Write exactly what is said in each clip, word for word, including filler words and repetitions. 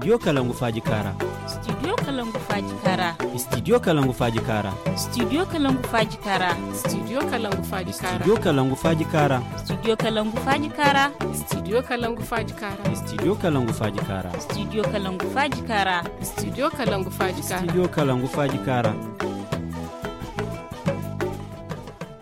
Studio Kalangu Faaji Kaara. Studio Kalangu Faaji Kaara. Studio Kalangu Faaji Kaara. Studio Kalangu Faaji Kaara. Studio Kalangu Faaji Kaara. Studio Kalangu Faaji Kaara. Studio Kalangu Faaji Kaara. Studio Kalangu Faaji Kaara. Studio Kalangu Faaji Kaara. Studio Kalangu Faaji Kaara. Studio Kalangu Faaji Kaara. Studio Kalangu Faaji Kaara.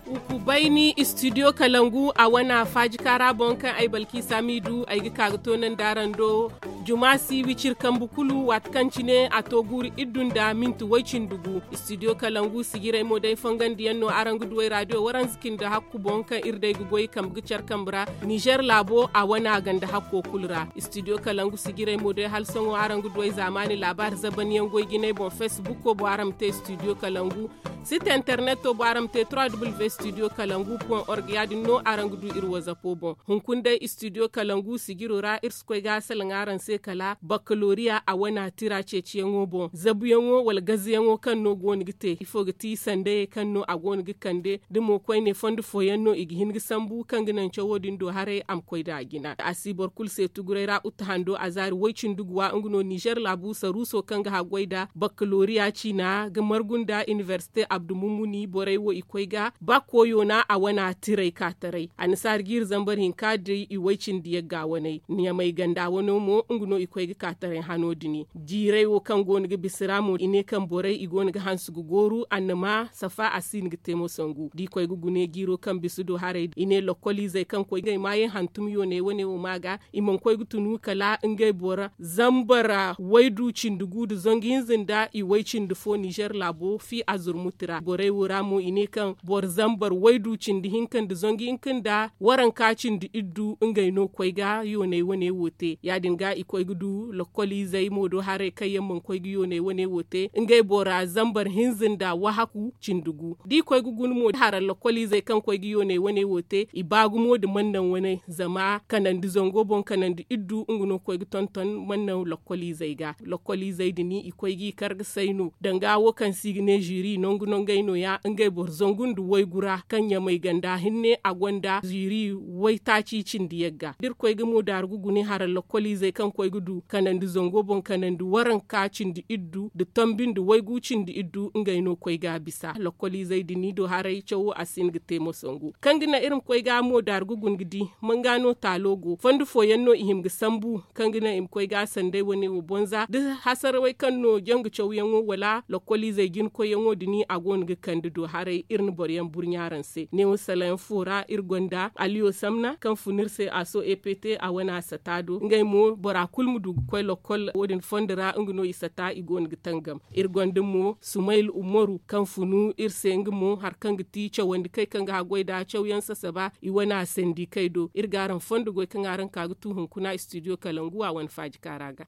Hukubayni studio kalangu a wana faaji kaara boŋ kaŋ ay balki samidu ay ga ka ga toonandi araŋ do. Juma si wiciri kambe kulu waati kaŋ cine a to guuru iddu nda minti way-cindi gu. Studio kalangu sijirey mo day fongandiyaŋ no araŋ ga duw'ey raadiyo waranza cindi hakku boŋ kaŋ iri day ga goy kambe ga care kambe ra. Nizer laabo a wana ganda hakko kulu ra. Studio kalangu sijirey mo day hala sohõ araŋ ga duw'ey zaamaani laabaari zabanyaŋ goy jinay boŋ facebook boŋ araŋ ma te studio kalangu. Site interneto boŋ araŋ ma te trois w studio kalangu point org ya- din no araŋ ga du iri wazapo boŋ. Hunkuna day studio kalangu sijiro ra iri si koy ga a salaŋ araŋ se kala bakkaloriya a wana tira ceeciyaŋo boŋ zabuyaŋo wala gazayaŋo kaŋ no go no ga te ifo ga ti sandayey kaŋ no a go no ga kande da mo koyne fondo fooyaŋ no i ga hin ga sambu kaŋ ga naŋ cawo din do haray a ma koy nd'a jina a si boro kulu se tuguray ra uta hando a zaari way-cindi guwa nga no nizer laabu saruuso kaŋ ga haggoy nd'a bakkaloriya ciina ga margu nda iniversite abdu mummuni borey wo i koy ga ba koyo na a wana tiray ka taray annasaari jiiri zambar hinka day i way-cindi yagga waney ɲamay ganda wano mo nga no i koy ga ka taray hano dini jiiray wo kaŋ go no ga bisa ra mo i ne kaŋ borey i go no ga hanse ga gooru annama safa a si no ga te mo sangu da i koy ga gune jiiro kaŋ bisa do haray i ne lokkoliizey kaŋ koy ga ay maayaŋ hantum yooney wane wo ma ga i mana koy ga tunu kala ngey boro zambar waydu cindi gu nda zangu hinza nda i way cindi fo nizer laabo fi a zurmuti ra borey wo ra mo i ne kaŋ boro zambar waydu cindi hinka nda zangu hinka nda waranka cindi iddu ngey no koy ga yooney wane wo te ya- din ga i koy ga du lokkoliizey mo do haray kaŋ yaŋ mana koy ga yooney wane wo te ngey bora zambar hinza nda wahaku cindi gu da i koy ga guna mo hara lokkoliizey kaŋ koy ga yooney wane wo te i ba gumo nda mannaŋ wane zama kanandi zango boŋ kanandi iddu nga no ga koy ga tonton mannaŋ lokkoliizey ga lokkoliizey din i koy g'i kar ga say no danga wo kaŋ se i ga ne ziri nangu nangey no- ya ngey boro zangu nda waygu ra kaŋ ɲamay ganda hinne a gonda ziri waytaaci cindi yagga da iri koy ga mo daaru ga guna hara lokkoliizey kaŋ koy ga du kanandi zango boŋ kanandi waranka cindi iddu nda tambi nda waygu cindi iddu ngey no koy ga a bisa lokkoliizey din do haray cawo a si hin ga te moso ngu kaŋ ga naŋ iri ma koy ga mo daaru ga guna ga di manga no taalo go fondo fooyaŋ no i hima ga sambu kaŋ ga naŋ i ma koy ga a sanday wane wo bonza da hasarawey kaŋ no janga cawyaŋo wala lokkoliizey jinkoyyaŋo din a go no ga kande do haray iri na boroyaŋ burɲa araŋ se neewo salayaŋ fo ra iri gonda aliyo samna kaŋ fun iri se a so ept a wane a sata do ngey mo bora kulu ma du ga koy lokkol wo- din fondo ra nga no i sata i go no ga tangam iri gonda mo sumayla umaru kaŋ funu iri se nga mo hari kaŋ ga ti cawandi kay kaŋ ga haggoy nd'a cawyaŋ sasaba i wane a sandi kay do iri ga araŋ fondo goy kaŋ araŋ ka ga tu hunkuna studio kalangu a wane faaji kaara ga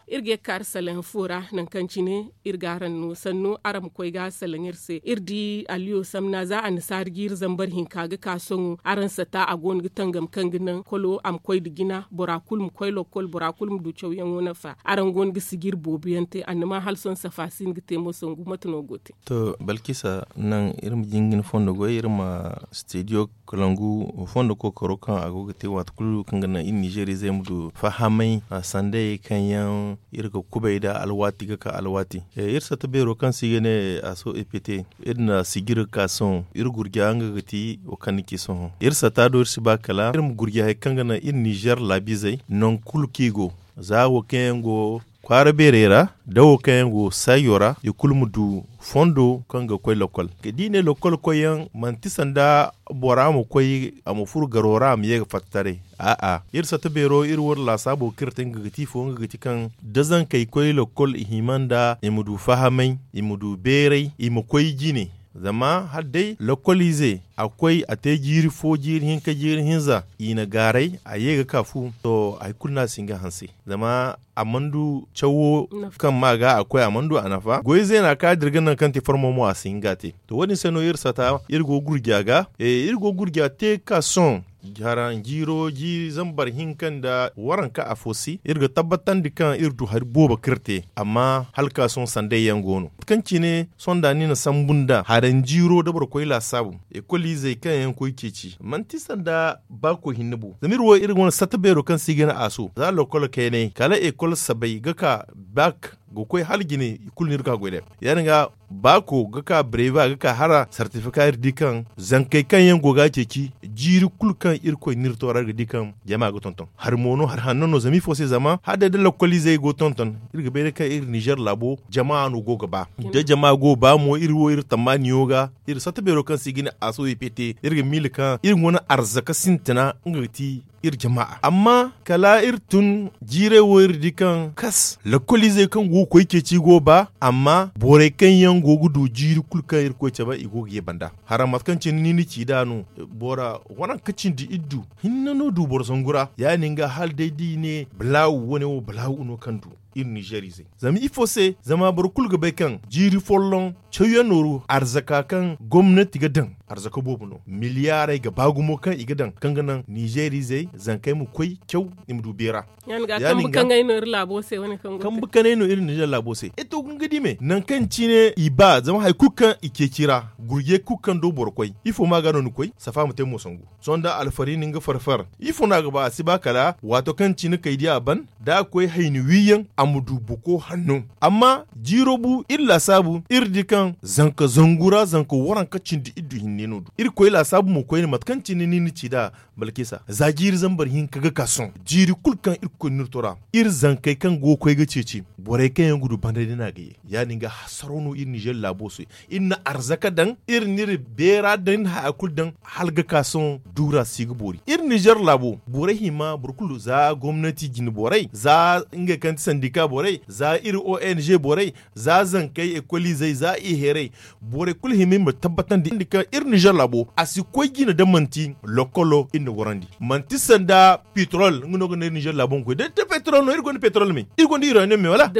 iri ga ye ga kaari salaŋ fo ra nangu kaŋ cine iri ga araŋ no sannu araŋ ma koy ga salaŋ iri se iri di aliyo samna za annasaari jiiri zambar hinka ga ka sohõ araŋ sata a go no ga tangam kaŋ ga naŋ kolo a ma koy nda jina bora kulu ma koy lokkol bora kulu ma du cawyaŋo nafa araŋ go no ga sijiri boobo yaŋ te annama hala sohõ safa si no ga te mo sangu mate no go te to balkisa naŋ iri ma jingin fondo goy iri ma studio kalangu fondo kookaro kaŋ a go ga te waati kulu kaŋ ga naŋ iri nizerizey ma du fahamay sandayey kaŋ yaŋ iri ga kubay nd'a alwaati ga ka alwaati iri sata beero kaŋ se i ga ne aso epete iri na sijiri ga ka sohõ iri gurja nga ga ti wo kaŋ ni ci sohõ iri sata do iri si ba kala iri ma gurja hari kaŋ ga naŋ iri nizer laabizey nangu kulu kaŋ i go za wo kaŋ yaŋ go kwaara beerey ra da wo kaŋ yaŋ go sayo ra i kulu ma du fondo kaŋ ga koy lokkol da i ne lokkol koyyaŋ manti sanda bora ma koy a ma furo garo ra a ma ye ga fatta taray a'a iri satta beero iri war laasaabo kaŋ iri te nga ga ti ifo nga ga ti kaŋ da zankey koy lokkol i hima nda i ma du fahamay i ma du beeray i ma koy jine zama hala day lokkoliize a koy a te jiiri fo jiiri hinka jiiri hinza i na gaaray a ye ga ka fu to hari kulu no a si hin ga hanse zama a mana du cawo kaŋ ma ga a koy a mana du a nafa goy zeena kaŋ a dira ga naŋ kaŋ te farmo mo a si hin ga a te to wo- din se no iri sata iri go gurja ga iri go gurja te ga ka sohõ Hara jiiro jiiri zambar hinka nda waranka afo se iri ga tabbatandi kaŋ iri du hari boobo kaŋ iri te. Amma hala ka sohõ sanday yaŋ go no kaŋ cine sohõ da ni na sambu nda haranjiiro da boro koy laasaabu. Ekol izey kaŋ yaŋ koy ceeci manti sanda baako hinne bo zama iri wo iri wane satta beero kaŋ se i ga ne a so za lokol kaynay kala ekol sabay ga ka bak ga koy hala jine i kulu no iri ga goy day. Ya- din ga baako ga ka breva ga ka hara sartifika iri di kaŋ zankey kaŋ yaŋ go ga a ceeci jiiri kulu kaŋ irkoy no iri toora iri ga di kaŋ jama ga tonton hari mo no hari hanno no zama ifo se zama hala day da lokol izey go tonton iri ga bay day kaŋ iri nizer laabo jama no go ga ba da jama go ga ba mo iri wo iri tammaaniyo ga iri satta beero kaŋ se i ga ne a so i pete iri ga miila kaŋ iri wane arzaka sintina nga ga ti iri jama amma kala iri tun jiirey wo iri di kaŋ kas lokol izey kaŋ go ga koy ceeci go ga ba amma borey kaŋ yaŋ go ga du jiiri kulu kaŋ iri koy cabe i go ga ye banda hara mate kaŋ cine ni na ci nd'a no bora waranka cindi iddu hinne no du boro zangu ra ya- din ga hala day da i ne balaawu wane wo balaawu no kaŋ du iri nizer izey zama ifo se zama boro kulu ga bay kaŋ jiiri folloŋ cawyaŋ nooru arzaka kaŋ gomnati ga daŋ arzaka boobo no miliyaarey ga ba gumo kaŋ i ga daŋ kaŋ ga naŋ nizer izey zankey ma koy caw i ma du beera. Ya- din ga kambe kaŋ ay no iri laabo se wane kaŋ go ga te kambe kaŋ ay no iri nizer laabo se e to ga nga di me nangu kaŋ cine i ba zama hari kulu kaŋ i ceeci ra gurje kulu kaŋ do boro koy ifo ma ga no ni koy safa ma te mo sangu sohõ da alfari na nga farfar ifo no a ga ba a si ba kala waato kaŋ cine kay di a ban da a koy hayni wiiyaŋ a ma du buko hanno amma jiiro bu iri laasaabu iri di kaŋ zanka zangu ra zanka waranka cindi iddu hinne no du iri koy laasaabu mo koyne mate kaŋ cine ni na ci nd'a balkisa za jiiri zambar hinka ga ka sohõ jiiri kulu kaŋ iri koy no iri to ra iri zankey kaŋ go ga koy ga ceeci borey kaŋ yaŋ ga du banda din a ga ye ya- din ga hasaro no iri nizer laabo se iri na arzaka daŋ iri na iri beera daŋ iri na haya kulu daŋ hala ga ka sohõ duura si ga boori iri nizer laabo borey hima boro kulu za gomnati jine borey za ngey kaŋ ti sandika borey za iri ong borey za zankey ekol izey za i heerey borey kulu hima iri ma tabbatandi kaŋ iri nizer laabo a si koy jine da manti lokolo iri na gorandi manti sanda petrol nga no ga ne iri nizer laabo ma koy da petrol no iri gonda petrol me iri gonda uranium me wala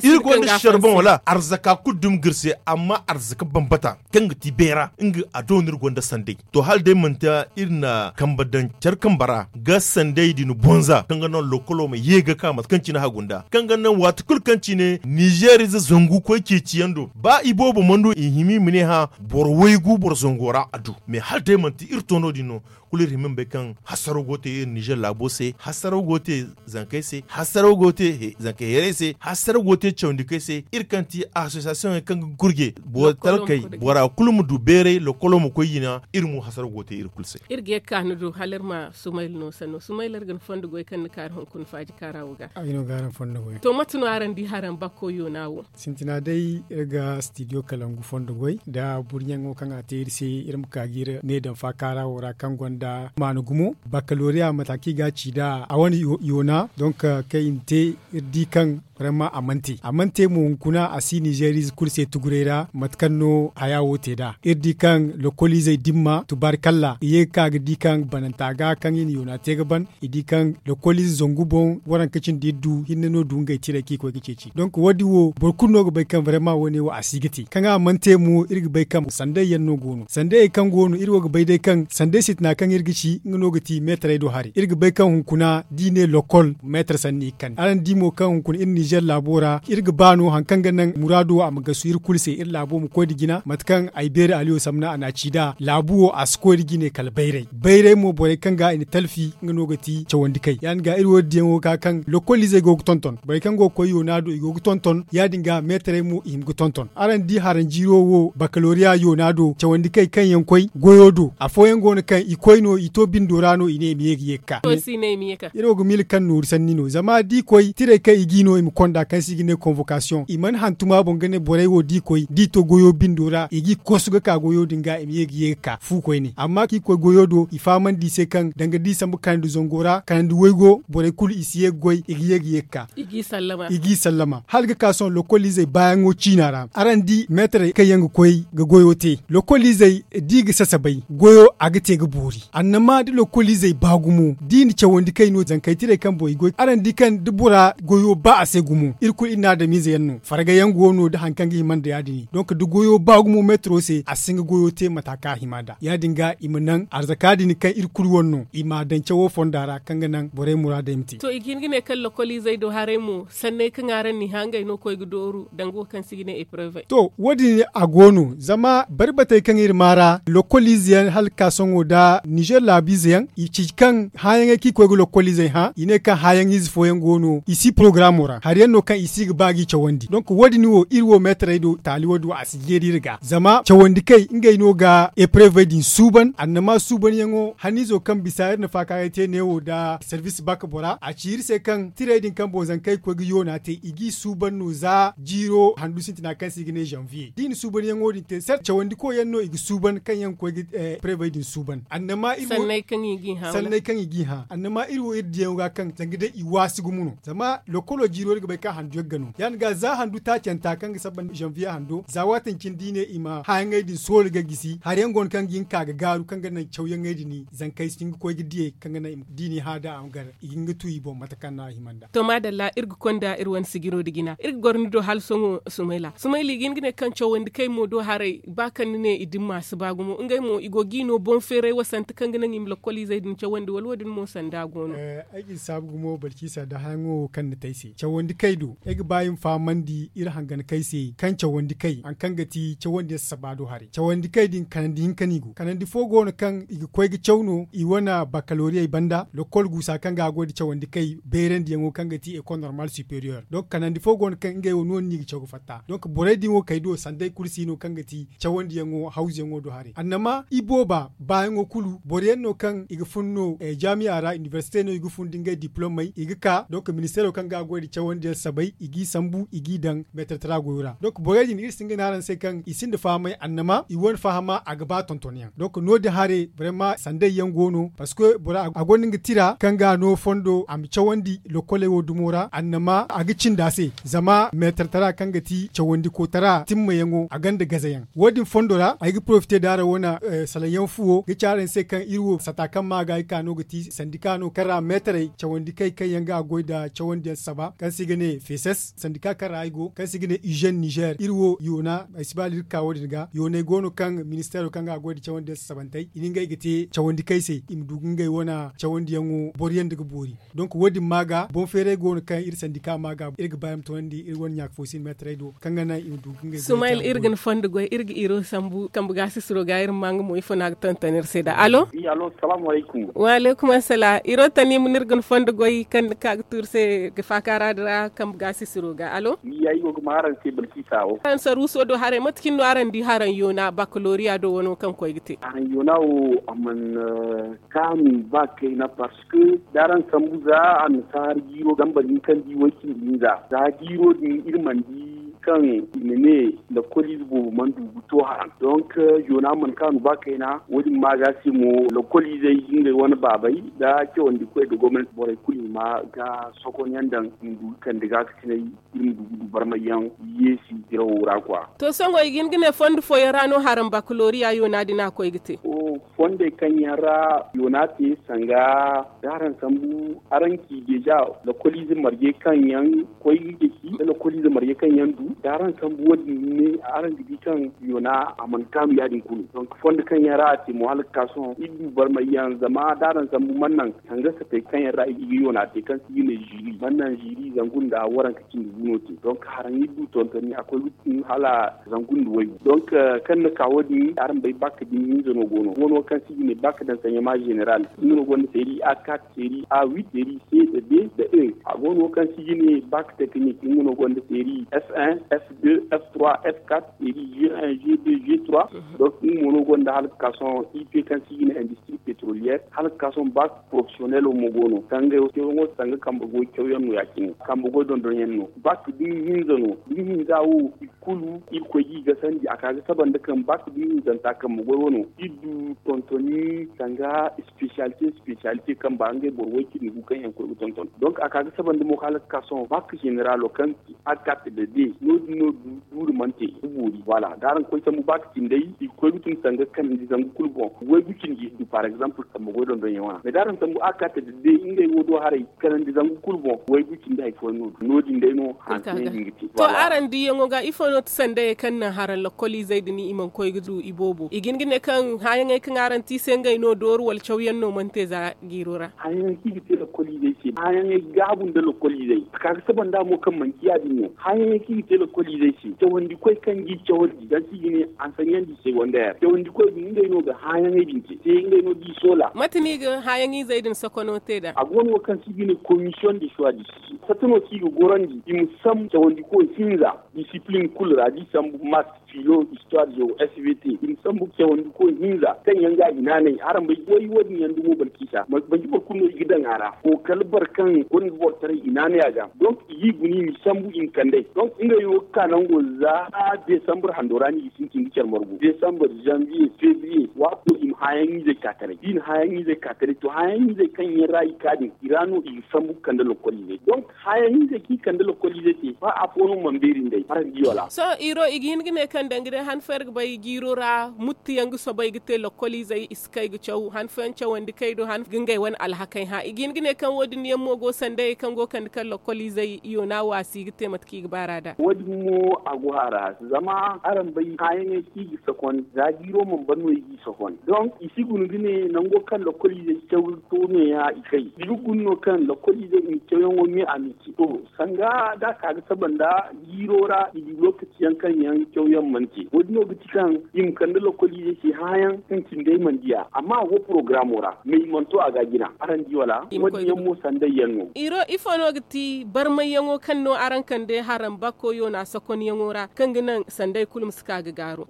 iri gonda charbon wala arzaka kulu dumi ga iri se amma arzaka bambata kaŋ ga ti beera nga a do no iri gonda sanday to hala day manti iri na kambe daŋ care kambe ra ga sanday din bonza kaŋ ga naŋ lokolo ma ye ga ka mate kaŋ cine hagunda kaŋ ga naŋ waati kulu kaŋ cine nizer ize zangu koy ceeci yaŋ do ba iboobo mana du i hima i ma ne hã boro waygu boro zango ra a du mais hala day manti iri to no- din no kulu iri hima ma bay kaŋ hasaro go ga te iri nizer laabo se hasaro go ga te zankey se hasaro go ga te zankey heerey se hasaro go ga te cawandikey se iri kaŋ ti asosiyasiyoŋey kaŋ ga gurje boro talkey bora kulu ma du beeray lokolo ma koy jina iri mo hasaro go ga te iri kulu se. Iri ga ye ga ka ni do hala iri ma sumayla no sanno sumayla iri ga ni fondo goy kaŋ ni kaari hunkuna faaji kaara wo ga. Ay no ga araŋ fondo goy. To mate no araŋ di haraŋ bakko yoona wo? Sintina day iri ga stidiyo kalangu fondo goy nda burɲaŋo kaŋ a te iri se iri ma ka ga iri ne daŋ faakaara wo ra kaŋ gonda maana gumo bakalooriya mate kaŋ i ga a ci nd'a a wane yoona donk kaŋ i na te iri di kaŋ vraiment a mana te a mana te mo hunkuna a si nizeeriize kulu se tuguray ra mate kaŋ no haya wo te nd'a iri di kaŋ lokoliizey dimma tubaarkalla i ye ga ka ga di kaŋ bananta ga kaŋ i na yoona te ga ban i di kaŋ lokoliize zangu boŋ waranka cindi iri du hinne no du ngey tiray kaŋ i koy ga ceeci donk wo- din wo boro kulu no ga bay kaŋ vraiment wo- ne wo a si ga te kaŋ a mana te mo iri ga bay kaŋ sanday yaŋ no go no sanday kaŋ go no iri wo ga bay day kaŋ sanday sintina kaŋ iri ga ci nga no ga ti meetaray do haray iri ga bay kaŋ hunkuna da i ne lokol meetar sanni i ga kande araŋ di mo kaŋ hunkuna iri ninzeer laabo ra iri ga ba no hari kaŋ ga naŋ muraado a ma gasu iri kulu se iri laabo ma koy nda jina mate kaŋ ay beeri aliyo samna a na a ci nd'a laabu wo a si koy nda jine kala bayray bayray mo borey kaŋ ga i na talfi nga no ga ti cawandi kay ya- din ga iri wo- din yaŋo ga ka kaŋ lokoliizey go ga tonton borey kaŋ go ga koy yoona do i go ga tonton ya- din ga meetaray mo i hima ga tonton araŋ di haranjiiro wo bakalooriya yoona do cawandi kay kaŋ yaŋ koy goyo do afooyaŋ go no kaŋ i koy no i to bindo ra no i ne i ma ye ga ye ga ka iri wo ga miila kaŋ nooru sanni no zama da i koy tirey kaŋ i g'i no i ma konda kaŋ se i ga ne konvokasiyoŋ i mana hantum a boŋ ga ne borey wo da i koy da i to goyo bindo ra i g'i kosu ga ka goyo din ga i ma ye ga ye ga ka fu koyne amma kaŋ i koy goyo do i fahamandi i se kaŋ danga da i sambu kanandi zango ra kanandi waygo borey kulu i si ye ga goy i ga ye ga ye ga ka i g'i sallama hala ga ka sohõ lokoliizey baayaŋo ciina ra araŋ di meetarey kaŋ yaŋ ga koy ga goyo te lokoliizey da i ga sasabay goyo a ga te ga boori annama da lokoliizey ba gumo da i na cawandi kay no zankey tirey kaŋ boŋ i goy araŋ di kaŋ da bora goyo ba a se gumo iri kulu iri na adamiize yaŋ no farga yaŋ go no nda hari kaŋ ga hima nda ya- din. Donk da goyo ba gumo meetaro se a si hin ga goyo te mata kaŋ a hima nd'a ya- din ga i ma naŋ arzaka din kaŋ iri kulu wane no i m'a daŋ cawo fonda ra kaŋ ga naŋ borey muraadey ma te. To i ga hin ga ne kaŋ lokoliizey do haray mo sanney kaŋ araŋ n'i hã ngey no koy ga dooru danga wo kaŋ se i ga ne eprevey. To wo- din a go no zama bari batey kaŋ iri maa ra lokoliize yaŋ hala ga ka sohõ nda ninzeer laabiize yaŋ i ci kaŋ hãyaŋey kaŋ i koy ga lokoliizey hã i ne kaŋ hãyaŋiize fooyaŋ go no i si porogaraamo ra hari yaŋ no kaŋ i si ga ba g'i cawandi donk wo- din wo iri wo meetarey do taali wo- din wo a si jeeri iri ga zama cawandi kay ngey no ga eprevey din suuban annama suubanyaŋo haniizo kaŋ bisa iri na faakaaray te neewo nda servis bak bora a ci iri se kaŋ tirey din kaŋ boŋ zankey ga koy ga yoona te i g'i suuban no za jiiro handu sintina kaŋ se i ga ne zanviye da i na suubanyaŋo din te sel cawandi koyyaŋ no i ga suuban kaŋ yaŋ ga koy ga eprevey din suuban annama iri wo sanney kaŋ i g'i hã annama iri wo iri diyaŋo ga kaŋ zanga day i waasi gumo no zama lokolo jiiro iri ga bay kaŋ handu yagga no ya- din ga za handu taacanta kaŋ ga saba zanviye hando za waati din cine da i ne i ma hãyaŋey din soori ga gisi hari yaŋ go no kaŋ ga hin ga ka ga gaaru kaŋ ga naŋ cawyaŋey din zankey si hin ga koy ga diyey kaŋ ga naŋ da i n'i hã da a ma gar i ga hin ga tu i boŋ mate kaŋ no a hima nd'a. To maadalla iri ga konda iri wane sijiro nda jina iri ga goro ni do hala sohõ sumayla sumayla i ga hin ga ne kaŋ cawandi kay mo do haray ba kaŋ ni ne i dimma si ba gumo ngey mo i go g'i no boŋ feeray wasante kaŋ ga naŋ i ma lokoliizey din cawandi wala wo- din mo sanda go no. Ay ga ni saabu gumo balciisa nda hãyaŋo wo kaŋ ni te ay se cawandi kay do ay ga ba i ma fahamandi iri hangankey se kaŋ cawandi kay hari kaŋ ga ti cawandi yaŋ sasaaba do haray cawandi kay din kanandi hinka no i go kanandi fo go no kaŋ i ga koy ga caw no i wane bakkaloriyey banda lokol guusa kaŋ ga a goy nda cawandi kay bayrandiyaŋo kaŋ ga ti ekol normal superiyer donk kanandi fo go no kaŋ ngey wo no- din no i ga caw ga fatta donk borey din wo kay do sanda ay kulu si no kaŋ ga ti cawandiyaŋo hawzuyaŋo do haray annama ibooba baayaŋo kulu boro yaŋ no kaŋ i ga fun no jaamiya ra inibersite no i ga fun nda ngey diplomey i ga ka donk ministeero kaŋ ga a goy nda cawandiyaŋ sabay i g'i sambu i g'i daŋ meetartara goyo ra donk borey din iri si hin ga ne araŋ se kaŋ i sinda fahamay annama i wane fahama a ga ba tontonyaŋ donk no- din haray barayma sandayyaŋ go no parceque bora a gonda nga tira kaŋ ga a no fondo a ma cawandi lokoley wo dumo ra annama a ga cindi a se zama meetartara kaŋ ga ti cawandikootara timmayaŋo a gonda gazayaŋ wo- din fondo ra ay ga porofite da araŋ wane salaŋ yaŋ fuwo ga ci araŋ se kaŋ iri wo sata kaŋ ma ga ay ka no ga ti sandika no kaŋ ra meetarey cawandi kay kaŋ yaŋ ga a goy nda cawandiyaŋ saba kaŋ se i ga ne feses sandika kaŋ ra ay go kaŋ se i ga ne izen nizer iri wo yoona ay si ba hala iri ga ka wo- din ga yoonay go no kaŋ ministeero kaŋ ga a goy nda cawandiyaŋ sasabantey i na ngey ga te cawandi kay se i ma du ga ngey wane cawandiyaŋo boro yaŋ nda ga boori donk wo- din ma ga boŋ feeray go no kaŋ iri sandika ma ga iri ga ba i ma toonandi iri wane ɲaaka fo se iri meetarey do kaŋ ga naŋ i ma du ga ngey sumayla iri ga ni fondo goy iri ga iro sambu kambe gaasisiro ga iri ma maa nga mo ifo no a ga tonton iri se nd'a alo. Wa alaykum assalam iro tani ma no iri ga ni fondo goy kaŋ ni ka ga tuuri se ga faakaara din ra kambe gaasisiro ga alo. Ay go ga maa araŋ se balkisa wo araŋ saruuso do haray mate cine no araŋ di haraŋ yoona bakaloriya do wano kaŋ koy ga te haraŋ yoona wo a mana kaanu ba kayna parce que da araŋ sambu za annasaara jiiro zambar hinka nda i way cindi hinza za jiiro din iri mana di kaŋ i ma ne lakkoliize boobo mana du ga to haraŋ donk yoona mana kaanu ba kayna wo- din ma ga se mo lakkoliizey ngey wane baabey da cawandikoy nda gomnanti borey kulu hima ga sokonyaŋ daŋ i ma du ga kande gaakasinay iri ma du ga du barmayyaŋ yeesi dirawo ra kwa. To sohõ i ga hin ga ne fondo fooyaŋ ra no haraŋ bakaloriya yoona din a koy ga te. Fondey kaŋ yaŋ ra yoona te sanga da araŋ sambu araŋ ci deeza lakkoliize marje kaŋ yaŋ koy ga ceeci da lakkoliize marje kaŋ yaŋ du da araŋ sambu wo- din ne araŋ ga di kaŋ yoona a mana kaanu ya- din kulu donk fondo kaŋ yaŋ ra a te mo hala ga ka sohõ iri du barmayyaŋ zama da araŋ sambu mana naŋ sanga satey kaŋ yaŋ ra i ga yoona te kaŋ se i ga ne ziiri mana naŋ ziiri zangu nda waranka cindi gu no te donk haraŋ iri du tontoni a koy ga tun hala zangu nda waygu donk kaŋ ni ka wo- din araŋ bay bak da ni hinza no go no wano kaŋ se i ga ne bak d'enseignement général nga no gonda série a quatre série a huit série c da d da e a go no kaŋ se i ga ne bak technique nga no gonda série f un f deux f trois f quatre série g un g deux g trois donc nga mo no gonda hala ga ka sohõ i p kaŋ se i ga ne industrie pétrolière hala ga ka sohõ bak professionnel mo go no kaŋ ngey wo cawyaŋo sanga kambe goy cawyaŋ no ya- cine kambe goy dondonyaŋ no bak da ni hinza no da ni hinza wo i kulu irkoy ga i gasandi a ka ga saba nda kaŋ bak da ni hinzanta kambe goy wano iri du tontoni sanga spécialité spécialité kaŋ ba ngey boro way cindi gu kaŋ yaŋ koy ga tonton donc a ka ga saba nda mo hala ga ka sohõ bak généralo kaŋ a ga ka te da d no Duuri mante ga boori voilà da araŋ koy sambu ba ka cindey i ga koy ga tun sanga kanandi zangu kulu boŋ. Waygu cindi du par exemple kambe goy dondonyaŋ wana mais da araŋ sambu a ga ka te da day ngey wo do haray kanandi zangu kulu boŋ waygu cindi hari fooyaŋ no du no- din day no hanse din ga te. To araŋ diiyaŋo ga ifo no ti sandayey kaŋ naŋ haraŋ lokoliizey din i mana koy ga du i boobo i ga hin ga ne kaŋ haayaŋey kaŋ araŋ te i se ngey no dooru wala cawyaŋ no mana te za jiiro ra? Haayaŋey kaŋ i ga te lokoliizey se haayaŋey gaabu nda lokoliizey a ka ga saba nd'a mo kaŋ manti ya- din no haayaŋey kaŋ i ga te lokoliizey se cawandikoy kaŋ ga i cawandi zama kaŋ i ga ne ansaɲandi se wanda yaŋ cawandikoy din ngey no ga haayaŋey din te se ngey no ga i soola. Mate no i ga haayaŋizey din sokono te nd'a? A go no wo kaŋ se i ga ne komisiyoŋ de suwa disi fatta no kaŋ i ga gorandi i ma sambu cawandiko hinza disipilin kulu ra da i sambu mask, filo, istuwaar zo, s v t i ma sambu cawandiko hinza kaŋ yaŋ ga a hinaanay araŋ bay way wo- din yaŋ dumo balkiisa manti boro kulu no i ga daŋ a ra. Kookari boro kaŋ gonda boro taray hinaanay a ga donk i ga i guna i ma sambu i ma kand'ey donk ngey wo ga ka nango za desambar hando ra no i ga sintin ga care margu desambar zanviye febriye waato i ma haayaŋizey ka taray da i na haayaŋizey ka taray to haayaŋizey kaŋ yaŋ ra i ka din i ra no i ga sambu ga kande lokoliizey donk haayaŋizey kaŋ i kande lokoliizey te ba afo no mana beeri nd'ey araŋ di wala? Sohõ iro i ga hin ga ne kaŋ danga day han fo iri ga bay jiiro ra muttu yaŋ ga soobay ga te lokoliizey i si kay ga caw han fooyaŋ cawandi kay do han ga ngey wane alhakey hã i ga hin ga ne kaŋ wo- din yaŋ mo go sandayey kaŋ go ga kande kaŋ lokoliizey yoona waasi ga te mate kaŋ i ga baar'a nd'a. Wo- din mo a go a ra zama araŋ bay haayaŋey kaŋ i ga sokon za jiiro mana ban no i g'i sokon donk i si guna ga ne nango kaŋ lokoliizey caw ga to no- ya i kay i ga guna no kaŋ lokoliizey i ma cawyaŋo me a ma i ce to sanga da a ka ga saba nda jiiro ra i di lookaci yaŋ kaŋ yaŋ cawyaŋ mana te wo- din no ga ti kaŋ i ma kande lokoliizey se hããyaŋ kaŋ cindey mana di a amma a go porogaraamo ra mais i mana to a ga a jina araŋ di wala? Wo- din yaŋ mo sanday yaŋ no. Iro ifo no ga ti barmayyaŋo kaŋ no araŋ kande haraŋ bako yoona sokonyaŋo ra kaŋ ga naŋ sanday kulu ma si ka ga gaaru.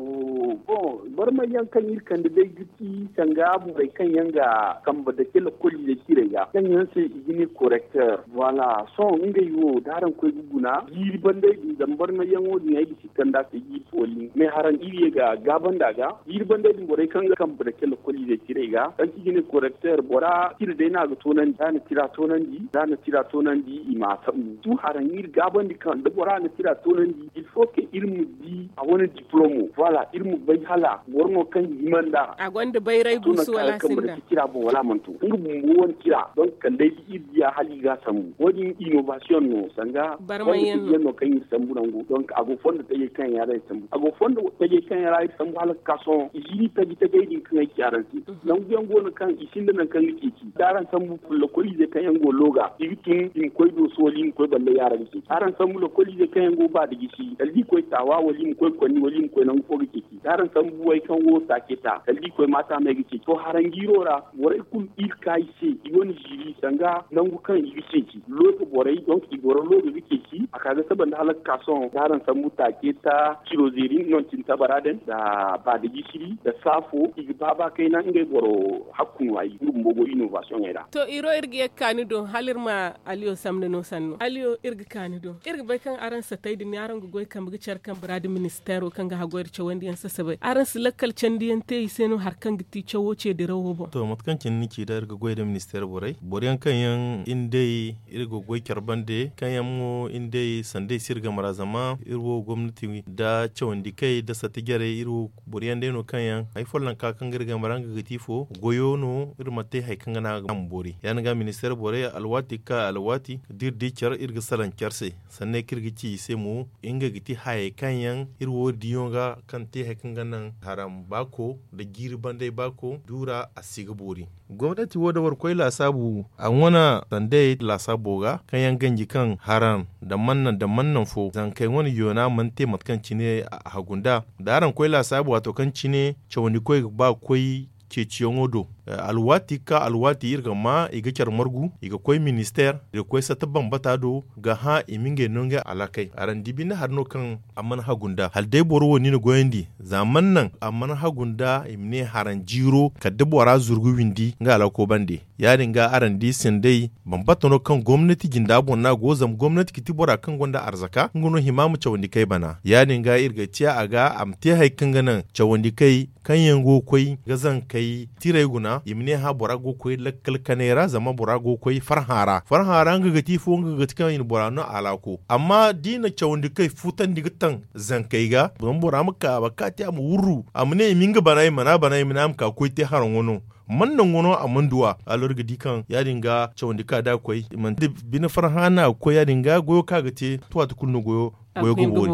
Boŋ barmayyaŋ kaŋ iri kande day ga ti sanga borey kaŋ yaŋ ga kambe dake lokoliizey ciirey ga kaŋ yaŋ se i ga ne korekter voilà sohõ ngey wo da araŋ koy ga guna jiiri bandey din zama barmayyaŋo din ay ga si kand'a se jiiri fooliŋ mais haraŋ iri ye ga gaabandi a ga jiiri bandey din borey kaŋ ga kambe dake lokoliizey ciirey ga kaŋ se i ga ne korekter bora tira day no a ga toonandi da a na tira toonandi da a na tira toonandi i ma a sambu tu haraŋ iri gaabandi kaŋ da bora na tira toonandi il faut que iri ma di a wane diplomo voilà iri ma bay hala boro no kaŋ ga hima nd'a a gonda bayray guusu wala a sinda tira boŋ wala a mana to nga bumbo wane tira donk kala day da iri diya hala i ga a sambu wo- din innovation no sanga barmayyaŋ no kaŋ iri sambu nangu donk a go fondo tajey kaŋ yaŋ ra iri sambu a go fondo tajey kaŋ yaŋ ra iri sambu hala ga ka sohõ i si ni taji tajey din kaŋ ay ci araŋ se nangu yaŋ go no kaŋ i sinda nangu kaŋ ga ceeci da araŋ sambu lokoliizey kaŋ yaŋ go looga i ga tun i ma koy dooso wala i ma koy ballay yaara ga ceeci araŋ sambu lokoliizey kaŋ yaŋ go ba da gisi kala da i koy taawa wala i ma koy konni wala i ma koy nangu fo ga ceeci da araŋ sambu way kaŋ go taaceta kala da i koy maata may ga ceeci to haraŋ jiiro ra borey kulu iri ka i se i wane ziiri sanga nangu kaŋ i ga ceeci looga borey donk i goro looga ga ceeci a ka ga saba nda hala ga ka sohõ da araŋ sambu taaceta ciro zeeri no cine tabara din nda ba da gisiri nda saafo i ga ba ba kayna ngey boro hakku no ay nga bumbo go innovation ey ra. To iro iri ga ye ga ka ni do hala iri ma aliyo samna no sanno aliyo iri ga ka ni do iri ga bay kaŋ araŋ satay din araŋ ga goy kambe ga care kambe ra da ministeero kaŋ ga haggoy nda cawandi yaŋ sasabay araŋ si lakkal candi yaŋ te i se no hari kaŋ ga ti cawo ce dirawo boŋ. To mate kaŋ cine ni ci day iri ga goy nda ministeero borey boro yaŋ kaŋ yaŋ iri nd'ey iri ga goy care bande kaŋ yaŋ mo iri nd'ey sanday si iri game ra zama iri wo gomnati nda cawandi kay nda sati jarey iri wo boro yaŋ day no kaŋ yaŋ hari follonka kaŋ ga iri game ra nga ga ti ifo goyo no iri ma te hari kaŋ ga naŋ a ma boori ya- din ga ministeer borey alwaati ga ka alwaati da iri di care iri ga salaŋ care se sanney kaŋ iri ga ci i se mo ngey ga ti hayey kaŋ yaŋ iri wo diyaŋo ga kaŋ te hari kaŋ ga naŋ haram baako nda jiiri banday baako duura a si ga boori. Gomnati wo da boro koy laasaabu a wane sandey laasaabo ga kaŋ yaŋ ganji kaŋ haram nda mannan nda mannan fo zankey wane yoona mana te mate kaŋ cine a hagu nd'a da araŋ koy laasaabu waato kaŋ cine cawandikoy ga ba ga koy ceeciyaŋo do. Alwaati ga ka alwaati iri ga maa i ga care margu i ga koy ministeer i ga koy satta bambata do ga hã i ma ngey no ngey alakey araŋ di binde hari no kaŋ a mana hagu nd'a hala day boro wo ni na goyandi za mana naŋ a mana hagu nd'a i ma ne haraŋ jiiro kala da bora zurgu windi nga alako bande. Ya- din ga araŋ di sandey bambata no kaŋ gomnati jinda boŋ no a go zama gomnati ga ti bora kaŋ gonda arzaka nga no hima ma cawandi kay bana ya- din ga iri ga ciya a ga a ma te hari kaŋ ga naŋ cawandi kay kaŋ yaŋ go ga koy ga zankey tirey guna. I ma ne hã bora go ga koy lakkal kanay ra zama bora go ga koy farhã ra farhã ra nga ga ti ifo nga ga ti kaŋ i na bora no alaako amma da i na cawandi kaŋ i fuutandi ga taŋ zankey ga zama bora ma ka a ma ka te a ma wurru a ma ne i ma nga bana i mana bana i ma ne a ma ka ga koy te haraŋo no. Man naŋ wano a mana du a. Alor ga di kaŋ ya- din ga cawandi kaŋ a da ga koy i manti bine farhã no a ga koy ya- din ga goyo kaŋ a ga te tuwaati kulu no goyo ga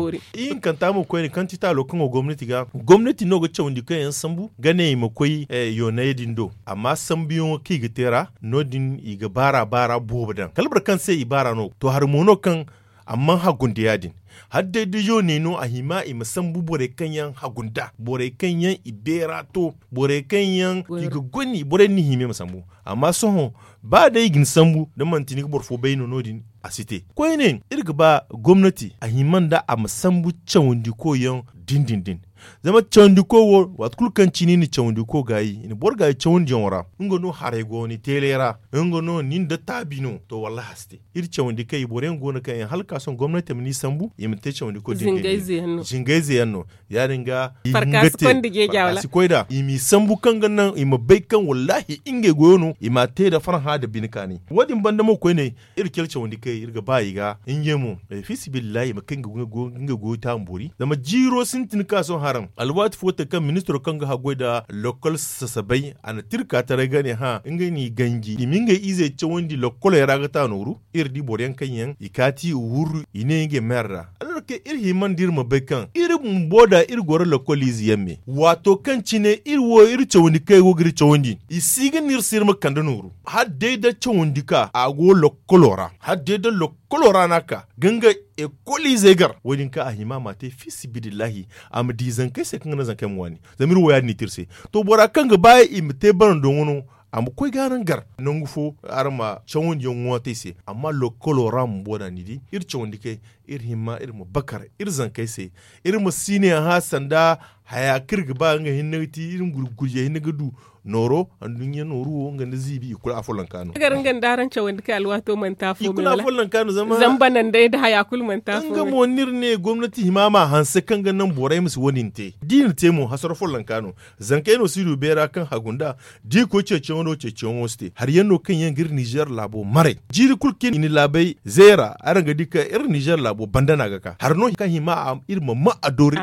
boori. Ihinkanta mo koyne kaŋ ti taalo kaŋ go gomnati ga gomnati no ga cawandi kaŋ yaŋ sambu ga ne i ma koy yooney din do amma sambuyaŋo kaŋ i ga te ra no- din i ga baara baara boobo daŋ kala boro kaŋ se i baara no to hari mo no kaŋ a mana hagu nda ya- din. Hala day da yooney no a hima i ma sambu borey kaŋ yaŋ hagu nda borey kaŋ yaŋ i beera to borey kaŋ yaŋ i ga goni borey din hima i ma sambu. Amma sohõ ba day i ga ni sambu da manti ni ga boro fo bay no no- din a si te. Koyne iri ga ba gomnati a hima nda a ma sambu cawandiko yaŋ din din din. Zama cawandiko wo waati kulu kaŋ cine i na cawandiko gaayi i na boro gaayi cawandiyaŋo ra nga no haray go ni teelay ra nga no nin da taabi no to wallahi a si te. Iri cawandi kaŋ i boro yaŋ go no kaŋ yaŋ hala ka sohõ gomnati ma ni sambu i ma te cawandiko din din din. Zingay ze yaŋ no ya- din ga i ma nga te farka si koy nd'a i m'i sambu kaŋ ga naŋ i ma bay kaŋ wallahi ngey goyo no i m'a te nda farhã nda bine kaani. Wo- din banda mo koyne iri care cawandi kay iri ga ba i ga ngey mo. Fiisabilillahi i ma kay ngey goyo taamboori zama jiiro sintin ka sohõ haraŋ alwaati fo te kaŋ ministiro kaŋ ga haggoy nda lokkol sasabay a na tirka taray ga ne hã ngey n'i ganji i ma ngey izey cawandi lokkoley ra ga ta nooru. Iri di boro yaŋ kaŋ yaŋ i kaati i wurru i ne ngey ma yar ra. Alorke iri hima nda iri ma bay kaŋ iri bumbo da iri goro lokkol ize yaŋ me waato kaŋ cine iri wo iri cawandi kaŋ i go ga iri cawandi i si ga ne iri se iri ma kande nooru. Hala day da cawandi ka a go lokkolo ra hala day da lokkolo ra no a ka ga nga ekol izey gar wo- din kaŋ a hima a m'a te fiisabilillahi a ma di zankey se kaŋ ga naŋ zankey ma waani. Zama iri wo ya- din i te iri se. To bora kaŋ ga ba i ma te barando ŋwa no a ma koy ga araŋ gar nangu fo araŋ ma cawandiyaŋ ŋwa te i se. Amma lokkolo ra bumbo da ni di iri cawandi kay iri hima iri ma bakar iri zankey se. Iri ma si ne hã sanda haya kaŋ iri ga ba nga hinne ga ti iri ma gurgurje hinne ga du nooro anduɲɲa nooru wo nga nda ziibi i kulu afollanka no. Gar nga nda araŋ cawandi kay alwaato manti afo me wala zama banandey nda haya kulu manti afo me. Nga mo no iri ne gomnati hima ma hanse kaŋ ga naŋ borey ma si wo- din te da i na te mo hasara follanka no. Zankey no si du beera kaŋ hagu nda da i koy ceeciyaŋo no ceeciyaŋo si te hari yaŋ no kaŋ yaŋ ga iri nizer laabo maray jiiri kulu kaŋ i na laabey zeera araŋ ga di kaŋ iri nizer laabo banda no a ga ka hari no kaŋ hima iri ma ma a doori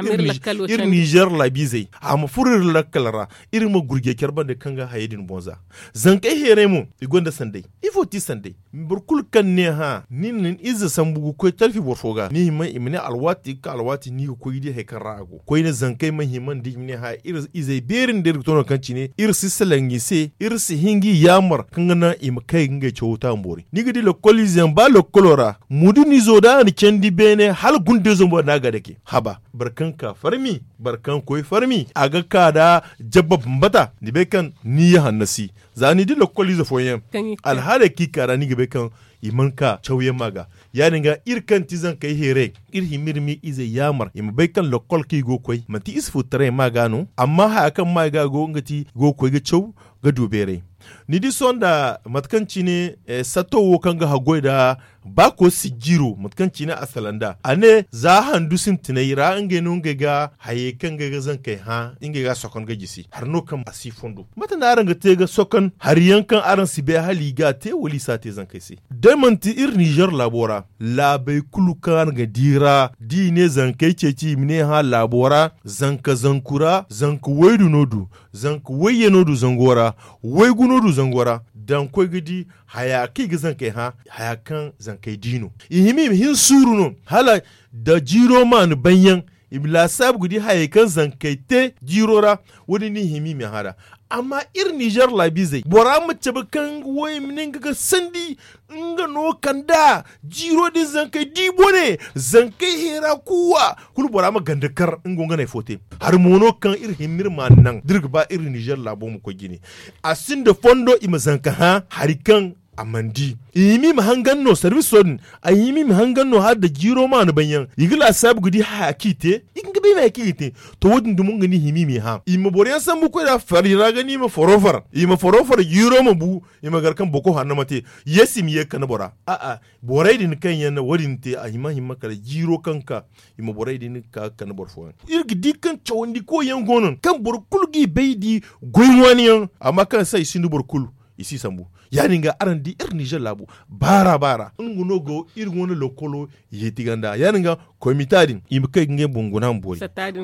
iri nizer laabiizey a ma furo iri lakkal ra. Iri ma gurjey care banda kaŋ ga hayey din boŋ za zankey heeray mo i gonda sanday. Ifo ti sanday boro kulu kaŋ ne hã ni na ni ize sambu ga koy talfi boro fo ga ni hima i ma ne alwaati ga ka alwaati ni ga koy ga di hari kaŋ ra a go koyne zankey ma hima nda i ma ne hã iri izey beeri nda iri ga to no kaŋ cine iri si salaŋ i se iri si hin ga i yaamar kaŋ ga naŋ i ma kay ga ngey cawo taamboori ni ga di lokkol ize yaŋ ba lokkolo ra mudun izo da a na candi beene hala gundayzo mo no a ga dake haba boro kaŋ ka farmi boro kaŋ koy farmi a ga ka nda jabba bambata ni bay kaŋ ni ya hannasi. Za ni di lokkol ize fooyaŋ alhaaley kaŋ i ka ra ni ga bay kaŋ i mana ka cawyaŋ ma ga ya- din ga iri kaŋ ti zankey heeray iri hima iri ma i izey yaamar i ma bay kaŋ lokkol kaŋ i go ga koy manti ize fu taray ma ga no amma haya kaŋ ma i ga go nga ti i go ga koy ga caw ga du beeray. Ni di sohõ nda mate kaŋ cine sato wo kaŋ ga haggoy nda baako sijjiro mate kaŋ cine a salaŋ nd'a a ne za handu sintinay ra ngey no ngey ga hayey kaŋ ngey ga zankey hã ngey ga a sokon ga jisi hari no kaŋ a si fondo mate no araŋ ga te ga sokon hari yaŋ kaŋ araŋ si bay hala i ga a te wala i si a te zankey se? Day manti iri nizer laabo ra laabey kulu kaŋ araŋ ga di ra da i ne zankey ceeci i ma ne hã laabo ra zanka zanku ra zanka waydu no du zanka wayye no du zango ra waygu no du zango ra daŋ koy ga di haya kaŋ i ga zankey hã haya kaŋ zankey di no i hima i ma hin suuru no hala da jiiro ma ni baŋ yaŋ i ma laasaabu ga di hayey kaŋ zankey te jiiro ra. Wo- din no i hima i ma hã nd'a amma iri nizer laabiizey bora ma cabe kaŋ nga wo i ma ne nga ga sandi nga no kand'a jiiro din zankey di bone zankey heera kuuwa kulu bora ma ganda kar nga wo nga no ay fo te. Hari mo no kaŋ iri hima iri ma a naŋ da iri ga ba iri nizer laabo ma koy jine a sinda fondo i ma zanka hã hari kaŋ a mana di. I hima i ma hangan no sarbiso din. A hima i ma hangan no hala da jiiro ma no banyaŋ i ga laasaabu ga di haya kaŋ i te. I ga bay ma haya kaŋ i ga te. To wo- din dumo nga no i hima i ma i hã i ma boro yaŋ sambu koy ra fari ra ga no i ma faro far i ma faro far jiiro ma bu. I ma gar kaŋ boko hanno ma te. Yeesi ma ye ga kande bora. A'a, borey din kaŋ yaŋ na wo- din te a hima hima kala jiiro kaŋ ga ka i ma borey din ga ka ga kande boro fooyaŋ. Iri ga di kaŋ cawandi koy yaŋ go no kaŋ boro kulu g'i bay di goy ŋwaani yaŋ. Amma kaŋ se i sinda boro kulu i si sambu. Ya- din ga araŋ di iri nizer laabo baara baara nga no go iri wane lokolo. Yeeti ganda ya- din ga komita din i ma kay ga ngey boŋ guna ma boori.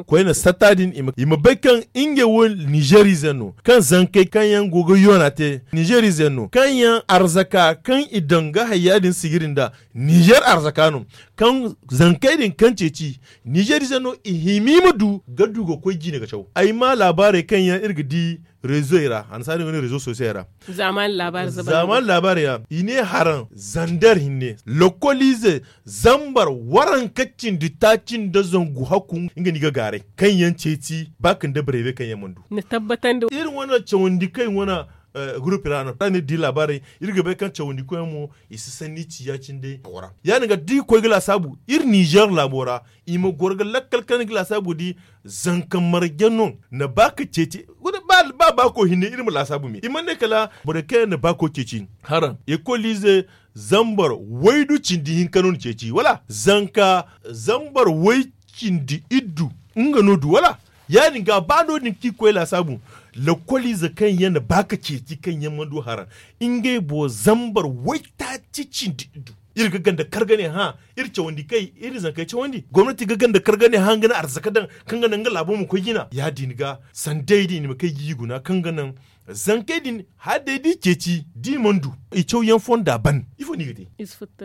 Koyne satta din i ma bay kaŋ ngey wo nizer ize no kaŋ zankey kaŋ yaŋ go ga yoona te nizer ize no kaŋ yaŋ arzaka kaŋ i daŋ ga hayya din sijiri nda nizer arzaka no. Kaŋ zankey din kaŋ ceeci nizer ize no i hima i ma du ga du ga koy jine ga caw ay ma laabaarey kaŋ yaŋ iri ga di rezoy ra hansaari ga ne rezo sosiyey ra. Zaamaani laabaari ya i ne haraŋ zander hinne lokolize zambar waranka cindi taaci nda zangu hakku nga no i ga gaaray kaŋ yaŋ ceeci ba ka nda bareebe kaŋ yaŋ mana du. Iri wane cawandi kaŋ iri wane gurupi ra no ra no iri di laabaarey. Iri ga bay kaŋ cawandi koy yaŋ mo i si sanni ci ya- cine day a wara ya- din ga da iri koy ga laasaabu iri nizer laabo ra i ma goro ga lakkal kaŋ ni ga laasaabu ga di zanka marje no na ba ka ceeci. Ba baako hinne iri ma laasaabu me i mana ne kala borey kaŋ yaŋ na baako ceeci haraŋ ekolize zambar waydu cindi hinka no ni ceeci wala zanka zambar way cindi iddu nga no du wala? Ya- din ga ba no- din kaŋ i koy laasaabu lakkoliize kaŋ yaŋ na ba ka ceeci kaŋ yaŋ mana du haraŋ ngey boro zambar waytaaci cindi iddu. Iri ga ganda kar ga ne hã iri cawandi kay iri zankey cawandi gomnati ga ganda kar ga ne hã nga na arzaka daŋ kaŋ ga naŋ nga laabo ma koy jina ya- din ga sanda ay din i ma kay ga i guna kaŋ ga naŋ zankey din hala day da i ceeci da i mana du i caw yaŋ fonda ban ifo no i ga te?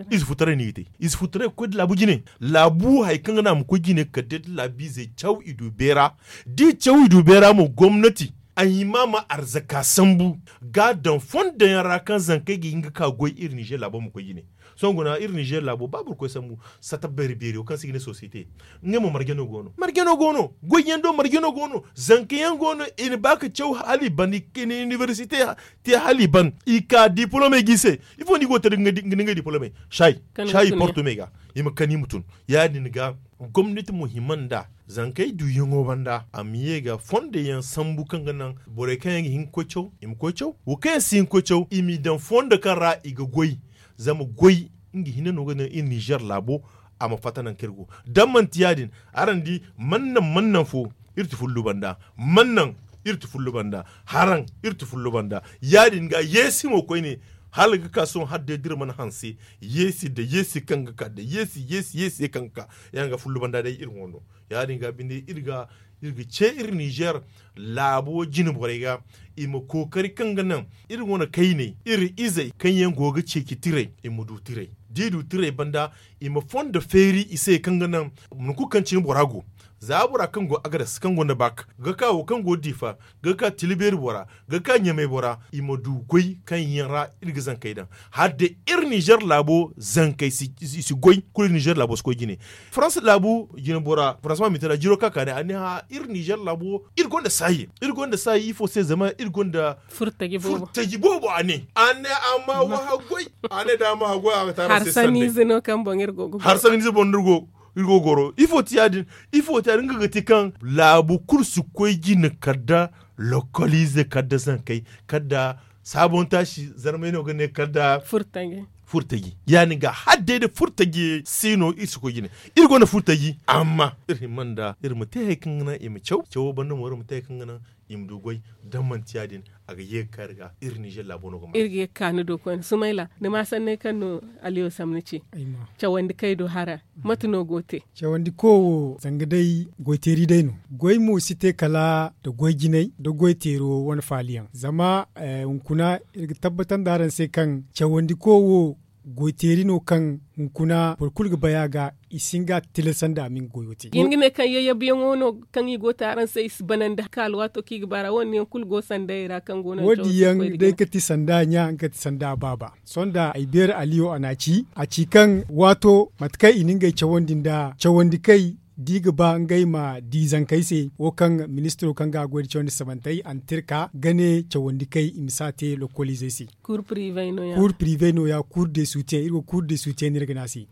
Ize futtaray no i ga te. Ize futtaray ga koy nda laabu jine laabu hari kaŋ ga naŋ a ma koy jine kala day da laabiizey caw i du beera da i caw i du beera mo gomnati a hima ma arzaka sambu ga a daŋ fondo yaŋ ra kaŋ zankey ga hin ga ka goy iri nizer laabo ma koy jine. Sohõ guna iri nizer laabo ba boro koy sambu sata beeri beeri wo kaŋ se i ga ne sosiyete ngey mo marje no go no marje no go no goy yaŋ do marje no go no zanka yaŋ go no i na ba ka caw hala i ban i na inibersite te hala i ban i ka dipolomey ga i se. Ifo no i go ga te da ngey dipolomey saayi saayi porto me ga i ma kani i ma tun ya- din ga gomnati mo hima nd'a zankey duuyaŋo banda a ma ye ga fondo yaŋ sambu kaŋ ga naŋ borey kaŋ yaŋ ga hin ga koy caw i ma koy caw wo kaŋ yaŋ si hin ga koy caw i m'i daŋ fondo kaŋ ra i ga goy zama goy nga hinne no ga naŋ iri nizer laabo a ma fatta nangu kaŋ iri go da manti ya- din araŋ di mana naŋ mana naŋ fo iri ti fullu banda mana naŋ iri ti fullu banda haraŋ iri ti fullu banda ya- din ga yeesi mo koyne hala ga ka sohõ hala day da iri mana hanse yeesi nda yeesi kaŋ ga ka nda yeesi yeesi yeesi kaŋ ga ka ya- din ga fullu banda day iri wando ya- din ga binde iri ga iri ga ce iri nizer laabo jine borey ga i ma kookari kaŋ ga naŋ iri wane kayney iri izey kaŋ yaŋ go ga ceeci tiray i ma du tiray da i du tiray banda i ma fondo feeri i se kaŋ ga naŋ nangu kulu kaŋ cine bora go za bora kaŋ go agares kaŋ gonda baak ga ka wo kaŋ go diifa ga ka tilibeeri bora ga ka ɲamay bora i ma du goy kaŋ yaŋ ra iri ga zankey daŋ hala day iri nizer laabo zankey i si goy kulu iri nizer laabo si koy jine faransa laabu jine bora faransa ma mintira jiro kaŋ a ka day a ne hã iri nizer laabo iri gonda saayi iri gonda saayi ifo se zama iri gonda furtaji boobo a ne a ne a ma wa haggoy a ne da a ma haggoy a ga taara se sanni ize no kaŋ boŋ iri go ga goro harsanni ize boŋ no iri go iri go ga goro ifo ti ya- din ifo ti ya- din nga ga ti kaŋ laabu kulu si koy jine kala nda lokoliize kala nda zankey kala nda saabon taasi zarmay no ga ne kala nda furtaji ya- din ga hala day da furtaji si no iri si koy jine iri gonda furtaji amma iri hima nda iri ma te hari kaŋ ga naŋ i ma caw cawo banda mo iri ma te hari kaŋ ga naŋ i ma du goy da manti ya- din a ga ye ga ka iri ga iri nizer laabo no ga ma iri ga ye ga ka ni do koyne sumayla ni ma sanney kaŋ no aliyo samni ci cawandi kay do hara mate no go te cawandi ko wo zanga day goy teeri day no goy mo si te kala nda goy jinay nda goy teero wane faali yaŋ zama hunkuna iri ga tabbatar nda araŋ se kaŋ cawandi ko wo goy teeri no kaŋ hunkuna boro kulu ga bay a ga i si hin ga a tilasandi a ma nga goyo te iri ga ne kaŋ yayyabuyaŋo no kaŋ i go ga te araŋ se i si banandi ka alwaato kaŋ i ga ba ra wo- din yaŋ kulu go sandayey ra kaŋ go no wo- din yaŋ day ga ti sanda ɲa nga ga ti sanda baaba sohõ da ay beeri aliyo a n'a ci a ci kaŋ waato mate kaŋ i na ngey cawandi nda cawandi kay da i ga ba ngey ma di zankey se wo kaŋ ministiro kaŋ ga a goy nda cawandi sabantey a na te iri ka ga ne cawandi kay i ma si a te lokkoliizey se. Kuur pirive nooya kuur de suutiyaŋ iri go kuur de suutiyaŋ no iri ga ne a se.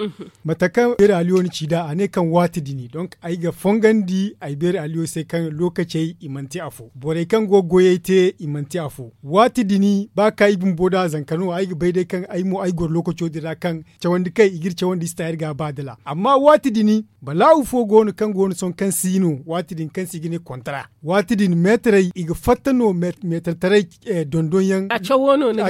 Mate kaŋ beeri aliyo na ci nd'a a ne kaŋ waati din donk ay ga fongandi ay beeri aliyo se kaŋ lookacey i manti afo borey kaŋ go ga goyey te i manti afo. Waati din ba kaŋ ay bumbo nd'a zanka no ay ga bay day kaŋ ay mo ay goro lookaco din ra kaŋ cawandi kay i ga iri cawandi i si ta iri ga a ba dala amma waati din balaawu fo go no kaŋ go no sohõ kaŋ si no waati din kaŋ se i ga ne kontara. Waati din meetarey i ga fatta no meetartaray dondonyaŋ a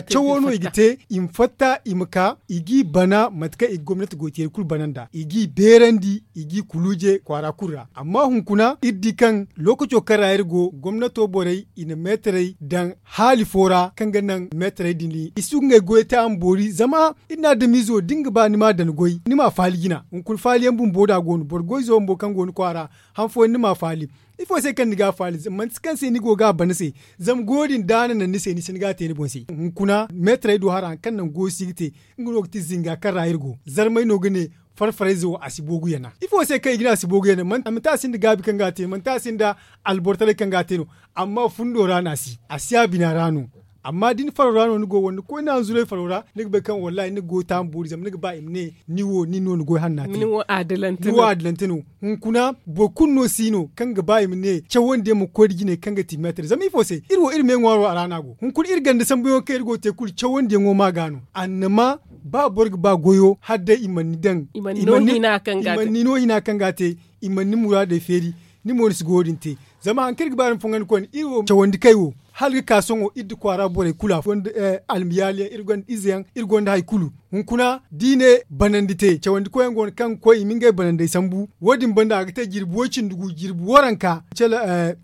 cawo no i ga te i ma fatta i ma ka i g'i bana mate kaŋ i ga gomnati goyteeri kulu bana nd'a i g'i beerandi i g'i kuluuje kwaara kulu ra amma hunkuna iri di kaŋ lookaco kaŋ ra iri go gomnato borey i na meetarey daŋ haali fo ra kaŋ ga naŋ meetarey din i si du ga ngey goyey te a ma boori zama iri na adamiizo da ni ga ba ni m'a daŋ goy ni m'a faali jina hunkuna faaliyaŋ bumbo nd'a go no boro goyzo bumbo kaŋ go ni kwaara han fooyaŋ ni m'a faali. Ifo se kaŋ ni ga a faali manti kaŋ se ni go ga a bana se zama goyo din da a na naŋ ni se ni si ni ga a te ni boŋ se hunkuna meetarey do hara hari kaŋ naŋ goyo si ga te. Nga no ga ti zinga kaŋ ra iri go zarmey no ga ne farfarayze wo a si boogu yana ifo se kaŋ i ga ne a si boogu yana manti a sinda gaabi kaŋ ga a te manti a sinda albortaray kaŋ ga a te no. Amma fundo ra no a si a si a bina ra no. Amma da ni faro ra no ni go wala ni koy ni hanzuray faro ra ni ga bay kaŋ wallahi ni ga goy taama boori zama ni ga ba i ma ne ni wo nin no ni goy hanna te ni wo adilante no. Hunkuna boro kulu no si no kaŋ ga ba i ma ne cawandi yaŋ ma koy nda jinay kaŋ ga ti meetar zama ifo se iri wo iri me ŋwaaro a ra no a go hunkuna iri ganda sambuyaŋo kaŋ iri go ga te kulu cawandiyaŋo ma ga no. Annama ba boro ga ba goyo hala day i mana ni daŋ i mana ni no hina kaŋ ga a te. I mana ni muraadey feeri. Ni mo ni si goyo din te. Zama hari kaŋ iri ga ba iri ma fongandi koyne iri wo cawandi kay wo hala ga ka sohõ iri nda kwaara borey kulu afo almiyaali yaŋ iri gonda ize yaŋ iri gonda hari kulu. Hunkuna da i ne banandi te cawandi koy yaŋ go no kaŋ ga koy i ma ngey banandey sambu wo- din banda a ga te jirbi way cindi gu jirbi waranka.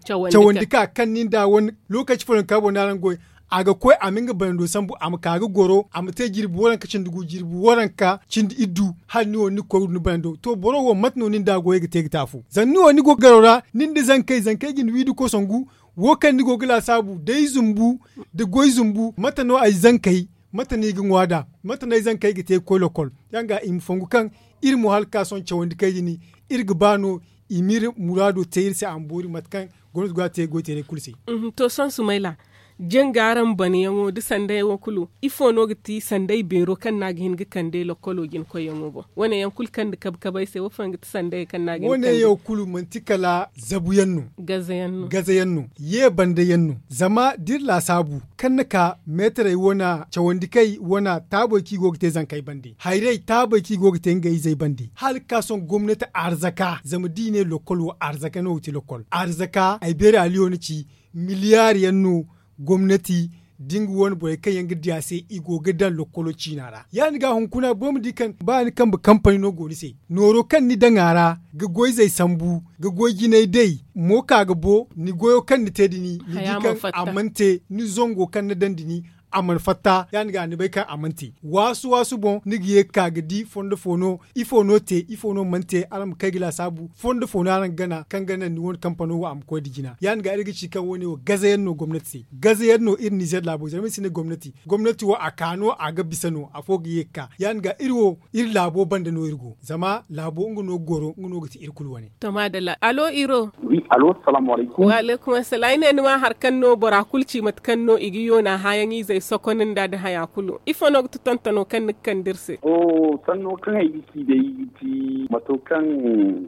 Cawandi ka kaŋ nin da wane lookaci fooyaŋ ka boro no araŋ ga goy a ga koy a ma nga banando sambu a ma ka ga goro a ma te jirbi waranka cindi gu jirbi waranka cindi iddu. Hala ni wo ni ga koy ga du ni banando to boro wo mate no nin da goyey ga te ga te afo zama ni wo ni go ga garo ra nin da zankey zankey ga ni wi nda kosangu. Wo kaŋ ni go ga laasaabu da ay zumbu da goy zumbu mate no ay zankey mate no i ga ŋwa nd'a? Mate no ay zankey ga te ga koy lokol? Ya- din ga i ma fongu kaŋ iri mo hala ga ka sohõ cawandi kay din iri ga ba no i ma iri muraado te iri se a ma boori mate kaŋ gomnati go a te goy teeray kulu se. To sohõ sumayla janga araŋ banayaŋo nda sandayaŋo kulu ifo no ga ti sanday beero kaŋ no a ga hin ga kande lokolo jina koyyaŋo boŋ? Wane yaŋ kulu kaŋ nda kabe kabe ay se wo fooyaŋ ga ti sanday kaŋ no a ga hin ga kande? Wane yaŋ kulu manti kala zabu yaŋ no. Gaza yaŋ no. Ye banda yaŋ no. Zama da iri laasaabu kaŋ na ka meetarey wane cawandi kay wane taabey kaŋ i go ga te zankey bande hayray taabey kaŋ i go ga te ngey izey bande hala ga ka sohõ gomnati arzaka zama da i ne lokol wo arzaka no ga ti lokol arzaka ay beeri aliyo na ci miliyaari yaŋ no. Gomnati da nga wane borey kaŋ yaŋ ga di a se i go ga daŋ lokkolo ciina ra ya- din ga hunkuna boro ma di kaŋ ba ni kambe kampani no go ni se nooro kaŋ ni daŋ a ra ga goy zey sambu ga goy jinay day mo ka ga bo ni goyo kaŋ ni te da ni ni di kaŋ a mana te ni zango kaŋ ni daŋ da ni a mana fatta ya- din ga ni bay kaŋ a mana te. Waasu waasu boŋ ni ga ye ga ka ga di fondo fo no ifo no te ifo no mana te araŋ ma kay ga laasaabu fondo fo no araŋ ga gana kaŋ ga naŋ ni wane kampano wo a ma koy nda jina ya- din ga iri ga ci kaŋ wo- ne wo gaza yaŋ no gomnati se. Gaza yaŋ no iri nizer laabo zama iri si ne gomnati gomnati wo a ka no a ga bisa no afo ga ye ga ka ya- din ga iri wo iri laabo banda no iri go zama laabo nga no ga goro nga no ga ti iri kulu wane. To maadalla alo iro. Wi alo salaamu alaykum. Wa alaykum assalam ay ne ni ma hari kaŋ no bora kulu ci mate kaŋ no i ga yoona haayaŋ izey sokonda nda haya kulu ifo no ga ti tontono kaŋ ni ga kande iri se? To sanno kaŋ ay ga ci day ga ti mato kaŋ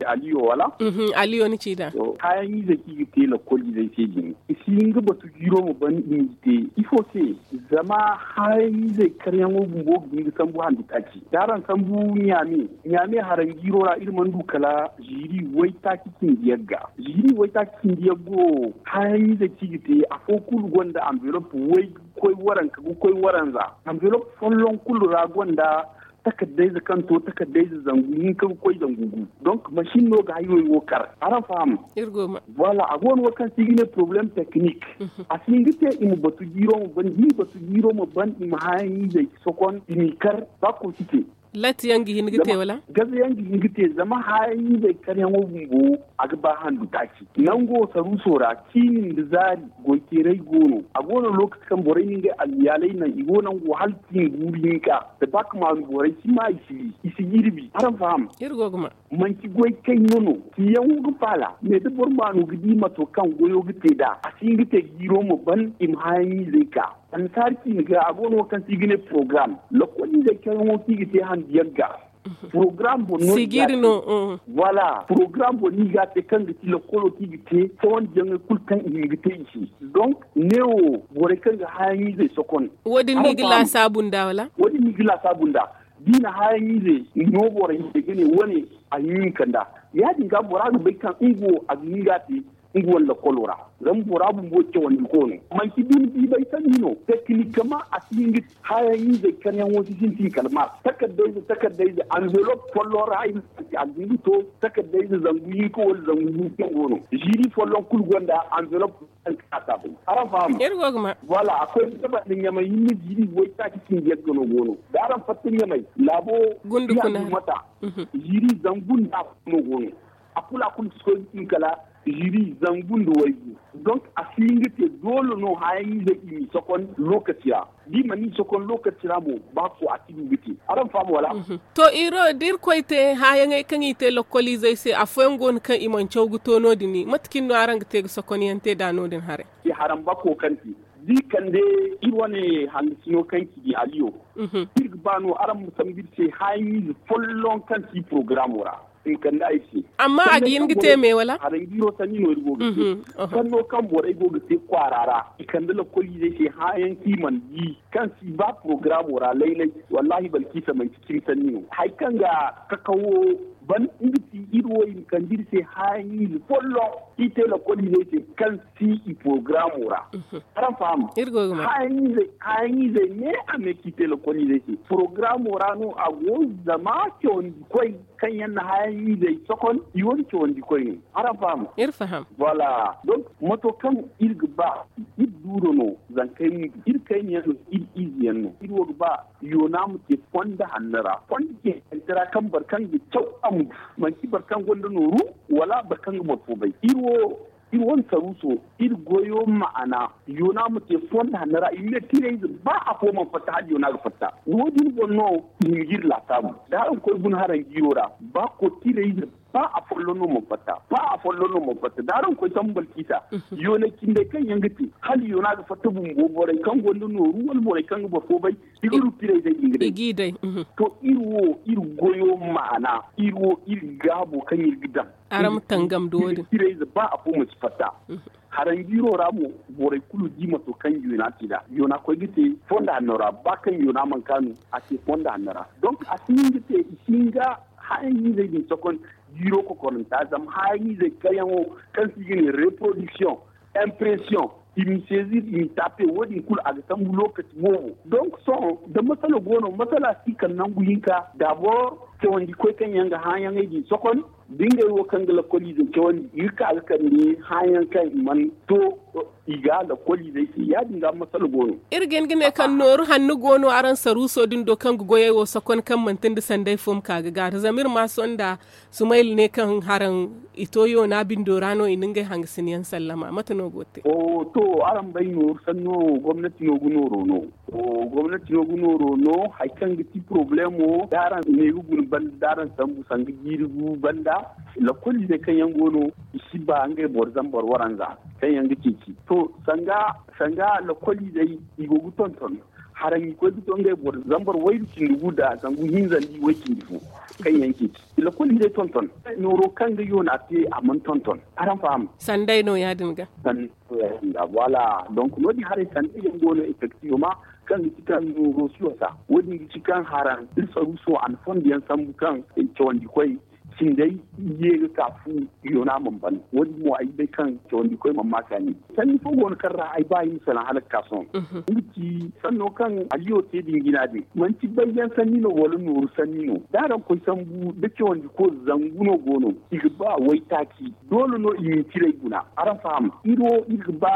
aliyo wala? Aliyo ni ci nd'a. Haayaŋ izey kaŋ i ga te lakkol izey se din i si hin ga batu jiiro ma ban i ma te ifo se? Zama haayaŋ izey karyaŋo bumbo ga hin ga sambu handi taaci da araŋ sambu ɲaame ɲaame haranjiiro ra iri mana du kala ziiri waytaaci cindi yagga ziiri waytaaci cindi yaggo. Haayaŋ izey kaŋ i ga te afo kulu gonda anvelop way ga koy waranka ga koy waranza anvelop folloŋ kulu ra gonda takardayze kaŋ to takardayze zangu hinka ga koy zangu gu. Donk masin no ga haywey wo kar araŋ faham? Voilà a go no wo kaŋ se i ga ne problème technique. A si hin ga te i ma batu jiiro ma ban da i batu jiiro ma ban i ma haayaŋ izey sokon i m'i kar ba kulu si te. Latti yaŋ ga hin ga te wala? Gaza yaŋ ga hin ga te zama haayaŋ izey karyaŋo bumbo a ga ba handu taaci nango saruuso ra. Ciini nda zaari goy teeray go no. A go no lokaci kaŋ borey na ngey almiyaaley naŋ i go nango hala ciini guuru hinka da ba ka maanu borey si ma i si jirbi araŋ faham? Manti goy kayna no ciyaŋo ga faala. Mais da boro maanu ga di mato kaŋ goyo ga te nd'a a si hin ga te jiiro ma ban i ma haayaŋ izey ka. Annasaari ciini ga a go no wo kaŋ se i ga ne porogaram. Lokol izey kaŋ yaŋo kaŋ i ga te handu yagga porogaram boŋ no i ga te. Voilà porogaram boŋ no i ga te kaŋ ga ti lokolo kaŋ i ga te cawandi yaŋey kulu kaŋ i hin ga te i se. Donk ne wo borey kaŋ ga haayaŋ izey sokon wo- din no i ga laasaabu nd'a wala? Wo- din no i ga laasaabu nd'a. Da i na haayaŋ ize no borey se ga ne wane a hin hinka nd'a. Ya- din ga bora ga bay kaŋ nga wo a ga hin ga a te nga wane lakkolo ra. Zama bora bumbo cawandi ko no manti bine biibay sanni no. Teknikama a si hin ga haayaŋ izey karyaŋo si sintin kala maas takardayze takardayze anvelop folloŋ ra. A ga hin ga to takardayze zangu hinka wala zangu hinka go no. Ziiri folloŋ kulu gonda anvelop. Araŋ faham? Voilà a koy ga banda ɲamay hinne ziiri waytaaci cindi yagga no go no. Da araŋ fatta ɲamay laabo gundu kuna mata. Ziiri zangu nda afo no go no. A kulu a kulu si koy ga tun kala ziiri zangu nda waygu. Donk a si hin ga te doole no haayaŋ ize i m'i sokon lookaci ra. Da i mana i sokon lookaci ra mo ba ko a si du ga te. Araŋ faham wala? To iro da irkoy te haayaŋey kaŋ i te lokkoliizey se afooyaŋ go no kaŋ i mana caw ga to no- din mate cine no araŋ ga te ga sokonyaŋ te nd'a no- din haray? Haraŋ bako kaŋ te da i kande iri wane hangasino kaŋ ci di aliyo. Iri ga ba no araŋ ma sambu iri se haayaŋ ize folloŋ kaŋ ti porogaramo ra. I ma kande ay se. Amma a ga hin ga te me wala? Haranjiiro sanni no iri go ga te. Sanno kaŋ borey go ga te kwaara ra i kande lakkoliizey se haayaŋ kaŋ i mana di kaŋ si ba porogaramo ra laylay. Wallahi balkiisa manti cimi sanni no hari kaŋ ga kakawo ban nga ti iri wo i ma kande iri se haayaŋ ize folloŋ kaŋ i te lakkoliizey se kaŋ si i porogaramo ra. Araŋ faham? Haayaŋ izey ne a me kaŋ i te lakkoliizey se porogaramo ra no a go. Zama cawandi koy kaŋ yaŋ na haayaŋ izey sokon i wane cawandi koy no. Araŋ faham? Iri faham. Voilà. Donk mato kaŋ iri ga ba iri duuro no. Zankey mo iri kayna yaŋ no iri ize yaŋ no iri wo ga ba yoona ma te fondo hanno ra fondo ceecante ra kaŋ boro kaŋ ga caw a ma du. Manti boro kaŋ gonda nooru wala boro kaŋ ga boro fo bay iri wo iri wane saruuso iri goyo ma'ana yoona ma te fondo hanno ra i ma ne tirayze ba afo mana fatta hala yoona ga fatta. Wo- din boŋ no i hima ga iri laasaabu da araŋ koy guna haranjiiro ra ba ko tirayze ba afolloŋ no mana fatta ba afolloŋ no mana fatta da araŋ koy sambu balkiisa. Yoonay cindey kaŋ yaŋ ga te hala yoona ga fatta bumbo borey kaŋ gonda nooru wala borey kaŋ ga boro fo bay i ga du tirayzey din ga day. To iri wo iri goyo ma'ana iri wo iri gaabo kaŋ iri ga daŋ. Araŋ ma tangam da wo- din tirayze ba afo mana si fatta. Haranjiiro ra mo borey kulu di mato kaŋ yoona te nd'a yoona koy ga te fondo hanno ra ba kaŋ yoona mana kaanu a te fondo hanno ra. Donk a si hin ga te i si hin ga haayaŋ izey din sokon jiiro kokoranta zama haayaŋ izey kayyaŋo kaŋ se i ga ne reproduction, impression, i m'i saisir i m'i tape wo- din kulu a ga sambu lookaci boobo. Donk sohõ da masala go no masala si kala nangu hinka dabor cawandi koy kaŋ yaŋ ga haayaŋey din sokon da ngey wo kaŋ ga lakkoliizey cawandi i ga ka ga kande haayaŋ kaŋ i mana to i ga lakkoliizey se ya- din ga masala go no. Iri ga hin ga ne kaŋ nooru hanno go no araŋ saruuso din do kaŋ ga goyey wo sokon kaŋ manti nda sanday fo ma ka ga gaaru zama iri ma sohõ nda sumayla ne kaŋ haraŋ i to yoona bindo ra no i na ngey hangasin yaŋ sallama mate no go te? To araŋ bay nooru sanno gomnati no ga nooro no. Gomnati no ga nooro no hari kaŋ ga ti porobalemo da araŋ ne ga guna banda da araŋ sambu sanga jiiri gu banda. Lakkoliizey kaŋ yaŋ go no i si ba ngey boro zambar waranza kaŋ yaŋ ga ceeci to sanga lakkoliizey i go ga tonton. Haraŋ i koy ga to ngey boro zambar wayru cindi gu nda zangu hinza nda i way cindi fo kaŋ yaŋ ceeci. Lakkoliizey tonton nooro kaŋ ga yoona te a mana tonton. Araŋ faham? Sanday no ya- din ga. Sanday no ya- din ga voilà. Donk no- din haray sanday yaŋ go no effectivement kaŋ ga ci kaŋ nooro si wasa wo- din ga ci kaŋ haraŋ iri saruuso a na fondo yaŋ sambu kaŋ cawandi koy cindey ye ga ka fu yoona mana ban wo- din mo ay ga bay kaŋ cawandi koy mana ma kaani. Sanni fo go no kaŋ ra ay ba ay ma salaŋ hala ga ka sohõ. Nga ci sanno kaŋ aliyo te din jina din manti bayyaŋ sanni no wala nooru sanni no da araŋ koy sambu da cawandi koy zangu no go no i ga ba waytaaci. Doole no i ma i ciray guna araŋ faham iri wo iri ga ba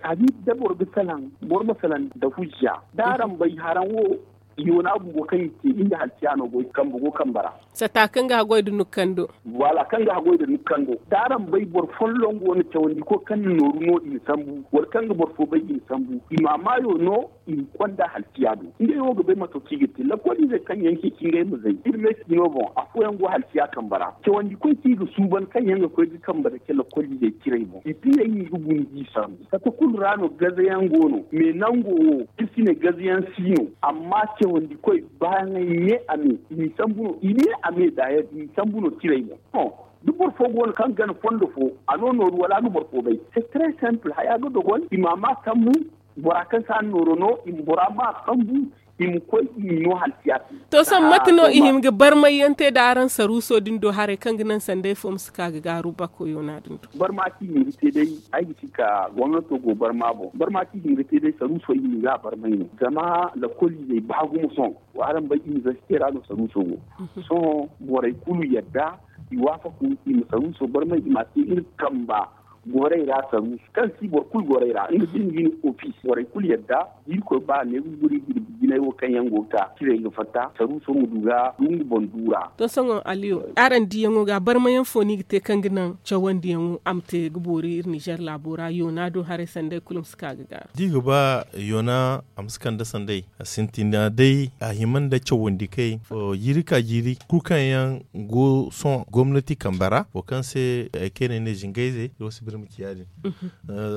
taabi da boro ga salaŋ boro ma salaŋ nda hujja da araŋ bay haraŋ wo. Yoona bumbo kaŋ i te nga halciya no goy kambe go kambe ra. Sata kaŋ ga haggoy nda nukando. Voilà kaŋ ga haggoy nda nukando da araŋ bay boro folloŋ go no cawandi koy kaŋ na nooru no i na sambu wala kaŋ ga boro fo bay i na sambu i ma a maayo no. I ma konda halciya do ngey wo ga bay mato kaŋ i ga te lakkoliizey kaŋ yaŋ ceeci ngey ma zay iri me ciino boŋ afooyaŋ go halciya kambe ra cawandi koy kaŋ i ga suuban kaŋ yaŋ ga koy ga kambe dake lakkoliizey ciray boŋ i diyey no i ga guna ga i sambu. Kate kulu ra no gazayaŋ go no me nango wo iri si ne gazayaŋ si no. Amma cawandi koy baayaŋey me a me i ma i sambu no i me a me daayar i ma i sambu no ciray boŋ. Da boro fo go no kaŋ gana fondo fo a no nooru wala a ga boro fo bay. C'est très simple haya ga dogon i ma a ma sambu. Bora kaŋ si a nooro no i ma bora ma sambu i ma koy i ma no halciya se. To sohõ mate no i hima ga barmayyaŋ te nda araŋ saruuso din do haray kaŋ ga naŋ sanday fo ma si ka ga gaaru bako yoona din do. Barma kaŋ i hima ga te day ay ga ci ka gomnato go barma boŋ barma kaŋ i hima ga te day saruuso i hima ga a barmay no zama lakkoliizey ba gumo sohõ. Wa araŋ bay inibersite ra no saruuso go. Sohõ borey kulu yadda i waafaku i ma saruuso barmay i ma a te iri kamba. Goray ra saruuso kaŋ si boro kulu goray ra nga si nga ni ofis borey kulu yadda da irkoy ba neebu buri jirbi jinay wo kaŋ yaŋ go ga ka ciray ga fatta saruuso ma du ga du nga boŋ duura. To sohõ aliyo araŋ diyaŋo ga barmayaŋ fo no i ga te kaŋ ga naŋ cawandiyaŋo a ma te ga boori iri nizer laabo ra yoona do haray sanday kulu ma si ka ga gaaru da i ga ba yoona a ma si kande sanday a sintin day a hima nda cawandi kay jiiri ka jiiri kulu kaŋ yaŋ go sohõ gomnati kambe ra wo kaŋ se ay kayna ne zingayze iri wo si biri ma ci ya- din.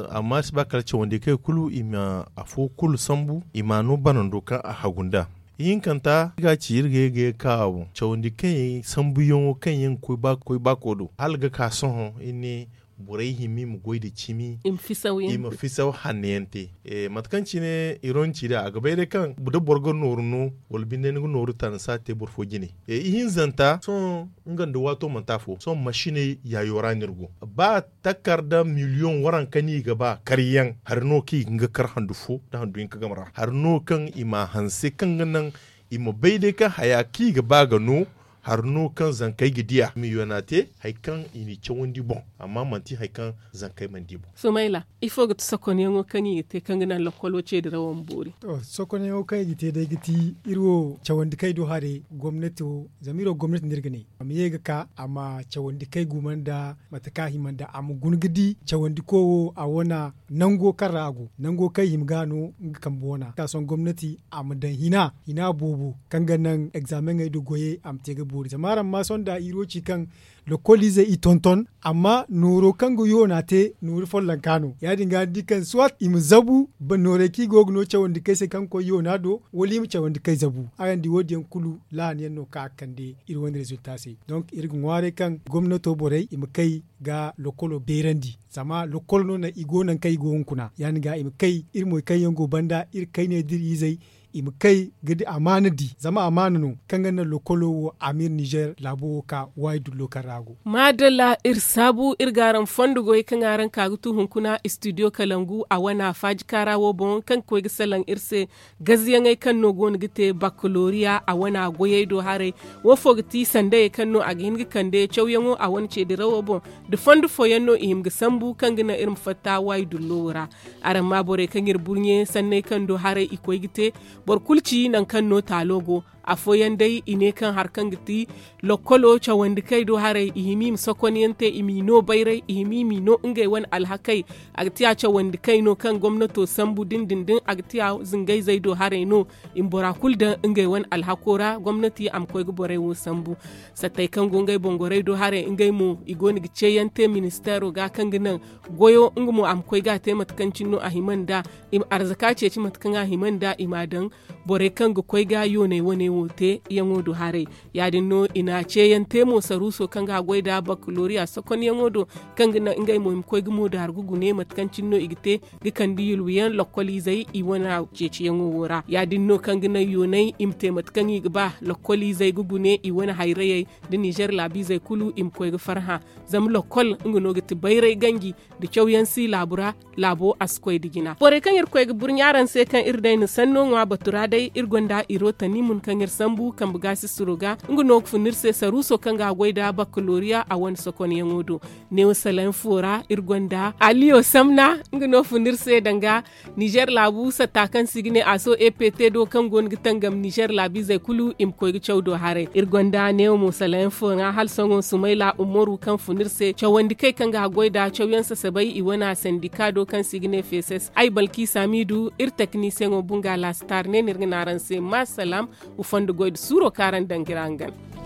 Amma iri si ba kala cawandi kay kulu i ma afo kulu sambu i ma a no banando kaŋ a hagu nd'a. Ihinkanta iri ga a ci iri ga ye ga ye ga ka a boŋ cawandi kay sambuyaŋo kaŋ yaŋ ga koy baako do hala ga ka sohõ iri ne borey hima i ma goy nda cimi i ma fisaw hanno yaŋ te. Mate kaŋ cine ironci da a ga bay day kaŋ da boro ga nooru no wala binde ni ga nooru ta ni si a te boro fo jine. Ihinzanta sohõ nga nda waato manti afo sohõ masiney yaayo ra no iri go ba takarda miliyoŋ waranka no i ga ba karyaŋ hari no kaŋ i ga nga kar handu fo nda handu hinka game ra hari no kaŋ i ma a hanse kaŋ ga naŋ i ma bay day kaŋ haya kaŋ i ga ba ga no. Hari no kaŋ zankey ga diya i ma yoona te hari kaŋ i n'i cawandi boŋ amma manti hari kaŋ zankey mana di boŋ. Sumayla, ifo ga ti sokonyaŋo kaŋ i ga te kaŋ ga naŋ lokkolo ceedirawo ma boori? Sokonyaŋo kaŋ i ga te day ga ti iri wo cawandi kaŋ ay du haray gomnati wo zama iri wo gomnati no iri ga ne a ma ye ga ka a ma cawandi kaŋ ay guma nda mate kaŋ a hima nda a ma guna ga di cawandi koy wo a wane nango kaŋ ra a go nango kaŋ i hima ga no nga kambe wana ka sohõ gomnati a ma daŋ hina hina boobo kaŋ ga naŋ egzaameŋey nda goyey a ma te ga boori zama araŋ ma sohõ nda iri wo ci kaŋ lokkoliizey i tonton amma nooro kaŋ ga yoona te nooru follonka no ya- din ga ni di kaŋ soit i ma zabu noorey kaŋ i go ga no cawandi kay se kaŋ ga koy yoona do wala i ma cawandi kay zabu araŋ di wo- din yaŋ kulu laahana yaŋ no kaŋ a ga kande iri wane rezilta se. Donk iri ga ŋwaaray kaŋ gomnato borey i ma kay ga lokkolo beerandi zama lokkol no naŋ i go nangu kaŋ i go hunkuna ya- din ga i ma kay iri moy kaŋ yaŋ go banda iri kayney da iri izey i ma kay ga di amaana di zama amaana no kaŋ ga naŋ lokkolo wo a ma iri nizer laabo wo ka waayi dullo kaŋ ra a go. Maadalla iri saabu iri ga araŋ fondo goy kaŋ araŋ ka ga tu hunkuna istidiyo kalangu a wana faaji kaara wo boŋ kaŋ ga koy ga salaŋ iri se gaziyaŋey kaŋ no go no ga te bakalooriya a wana goyey do haray. Wo fo ga ti sandayey kaŋ no a ga hin ga kande cawyaŋo a wane ceedirawo boŋ nda fondo fooyaŋ no i hima ga sambu kaŋ ga naŋ iri ma fatta waayi dullo wo ra. Araŋ ma borey kaŋ iri burɲe sanney kaŋ do haray i koy ga te boro kulu ci nangu kaŋ no taalo go. Afooyaŋ day i ne kaŋ hari kaŋ ga ti lokkolo cawandi kay do haray i hima i ma sokonyaŋ te i m'i no bayray i hima i m'i no ngey wane alhakey. A ga ti a cawandi kay no kaŋ gomnato sambu din din din a ga ti a zingayzey do haray no. I ma bora kulu daŋ ngey wane alhako ra gomnati a ma koy ga borey wo sambu. Sattey kaŋ go ngey boŋ gorey do haray ngey mo i go no ga ceeyaŋ te ministeero ga kaŋ ga naŋ goyo nga mo a ma koy ga a te mate kaŋ cine no a hima nd'a. I ma arzaka ceeci mate kaŋ a hima nd'a i m'a daŋ borey kaŋ ga koy ga yooney wane wo te yaŋo do haray. Ya- din no i na ceeyaŋ te mo saruuso kaŋ ga goy nd'a bakalooriya sokonyaŋo do kaŋ ga naŋ ngey mo i ma koy ga moodaari ga gune mate kaŋ cine no i ga te ga kande yulwiyaŋ lokkoliizey i wane ceeciyaŋo wo ra ya- din no kaŋ ga naŋ yooney i ma te mate kaŋ i ga ba lokkoliizey ga gune i wane hayrayey nda nizer laabiizey kulu i ma koy ga farhã. Zama lokkol nga no ga ti bayray ganji nda cawyaŋ si laabu ra. Laabo a si koy nda jina borey kaŋ iri koy ga burɲe araŋ se kaŋ iri day na sanno ŋwa batu ra day iri gonda iro tani mun kaŋ sambu kambe gaasi suro ga nga no ga fun iri se saruuso kaŋ ga a goy nda bakalooriya a wane sokonyaŋo do. Neewo salaŋ fo ra iri gonda aliyo samna nga no fun iri se danga nizer laabu satta kaŋ se i ga ne a so ept do kaŋ go no ga tangam nizer laabiizey kulu i ma koy ga caw do haray. Iri gonda neewo mo salaŋ fo ra hala sohõ sumayla umaru kaŋ fun iri se cawandi kay kaŋ ga a goy nda cawyaŋ sasabay i wane sandika do kaŋ se i ga ne feeses ay balki samiidu iri teknisiyeŋo bunga laasitar ne no iri ga ne araŋ se ma salaam. Wa fondo goy nda suuro kaŋ araŋ danga iri hangan.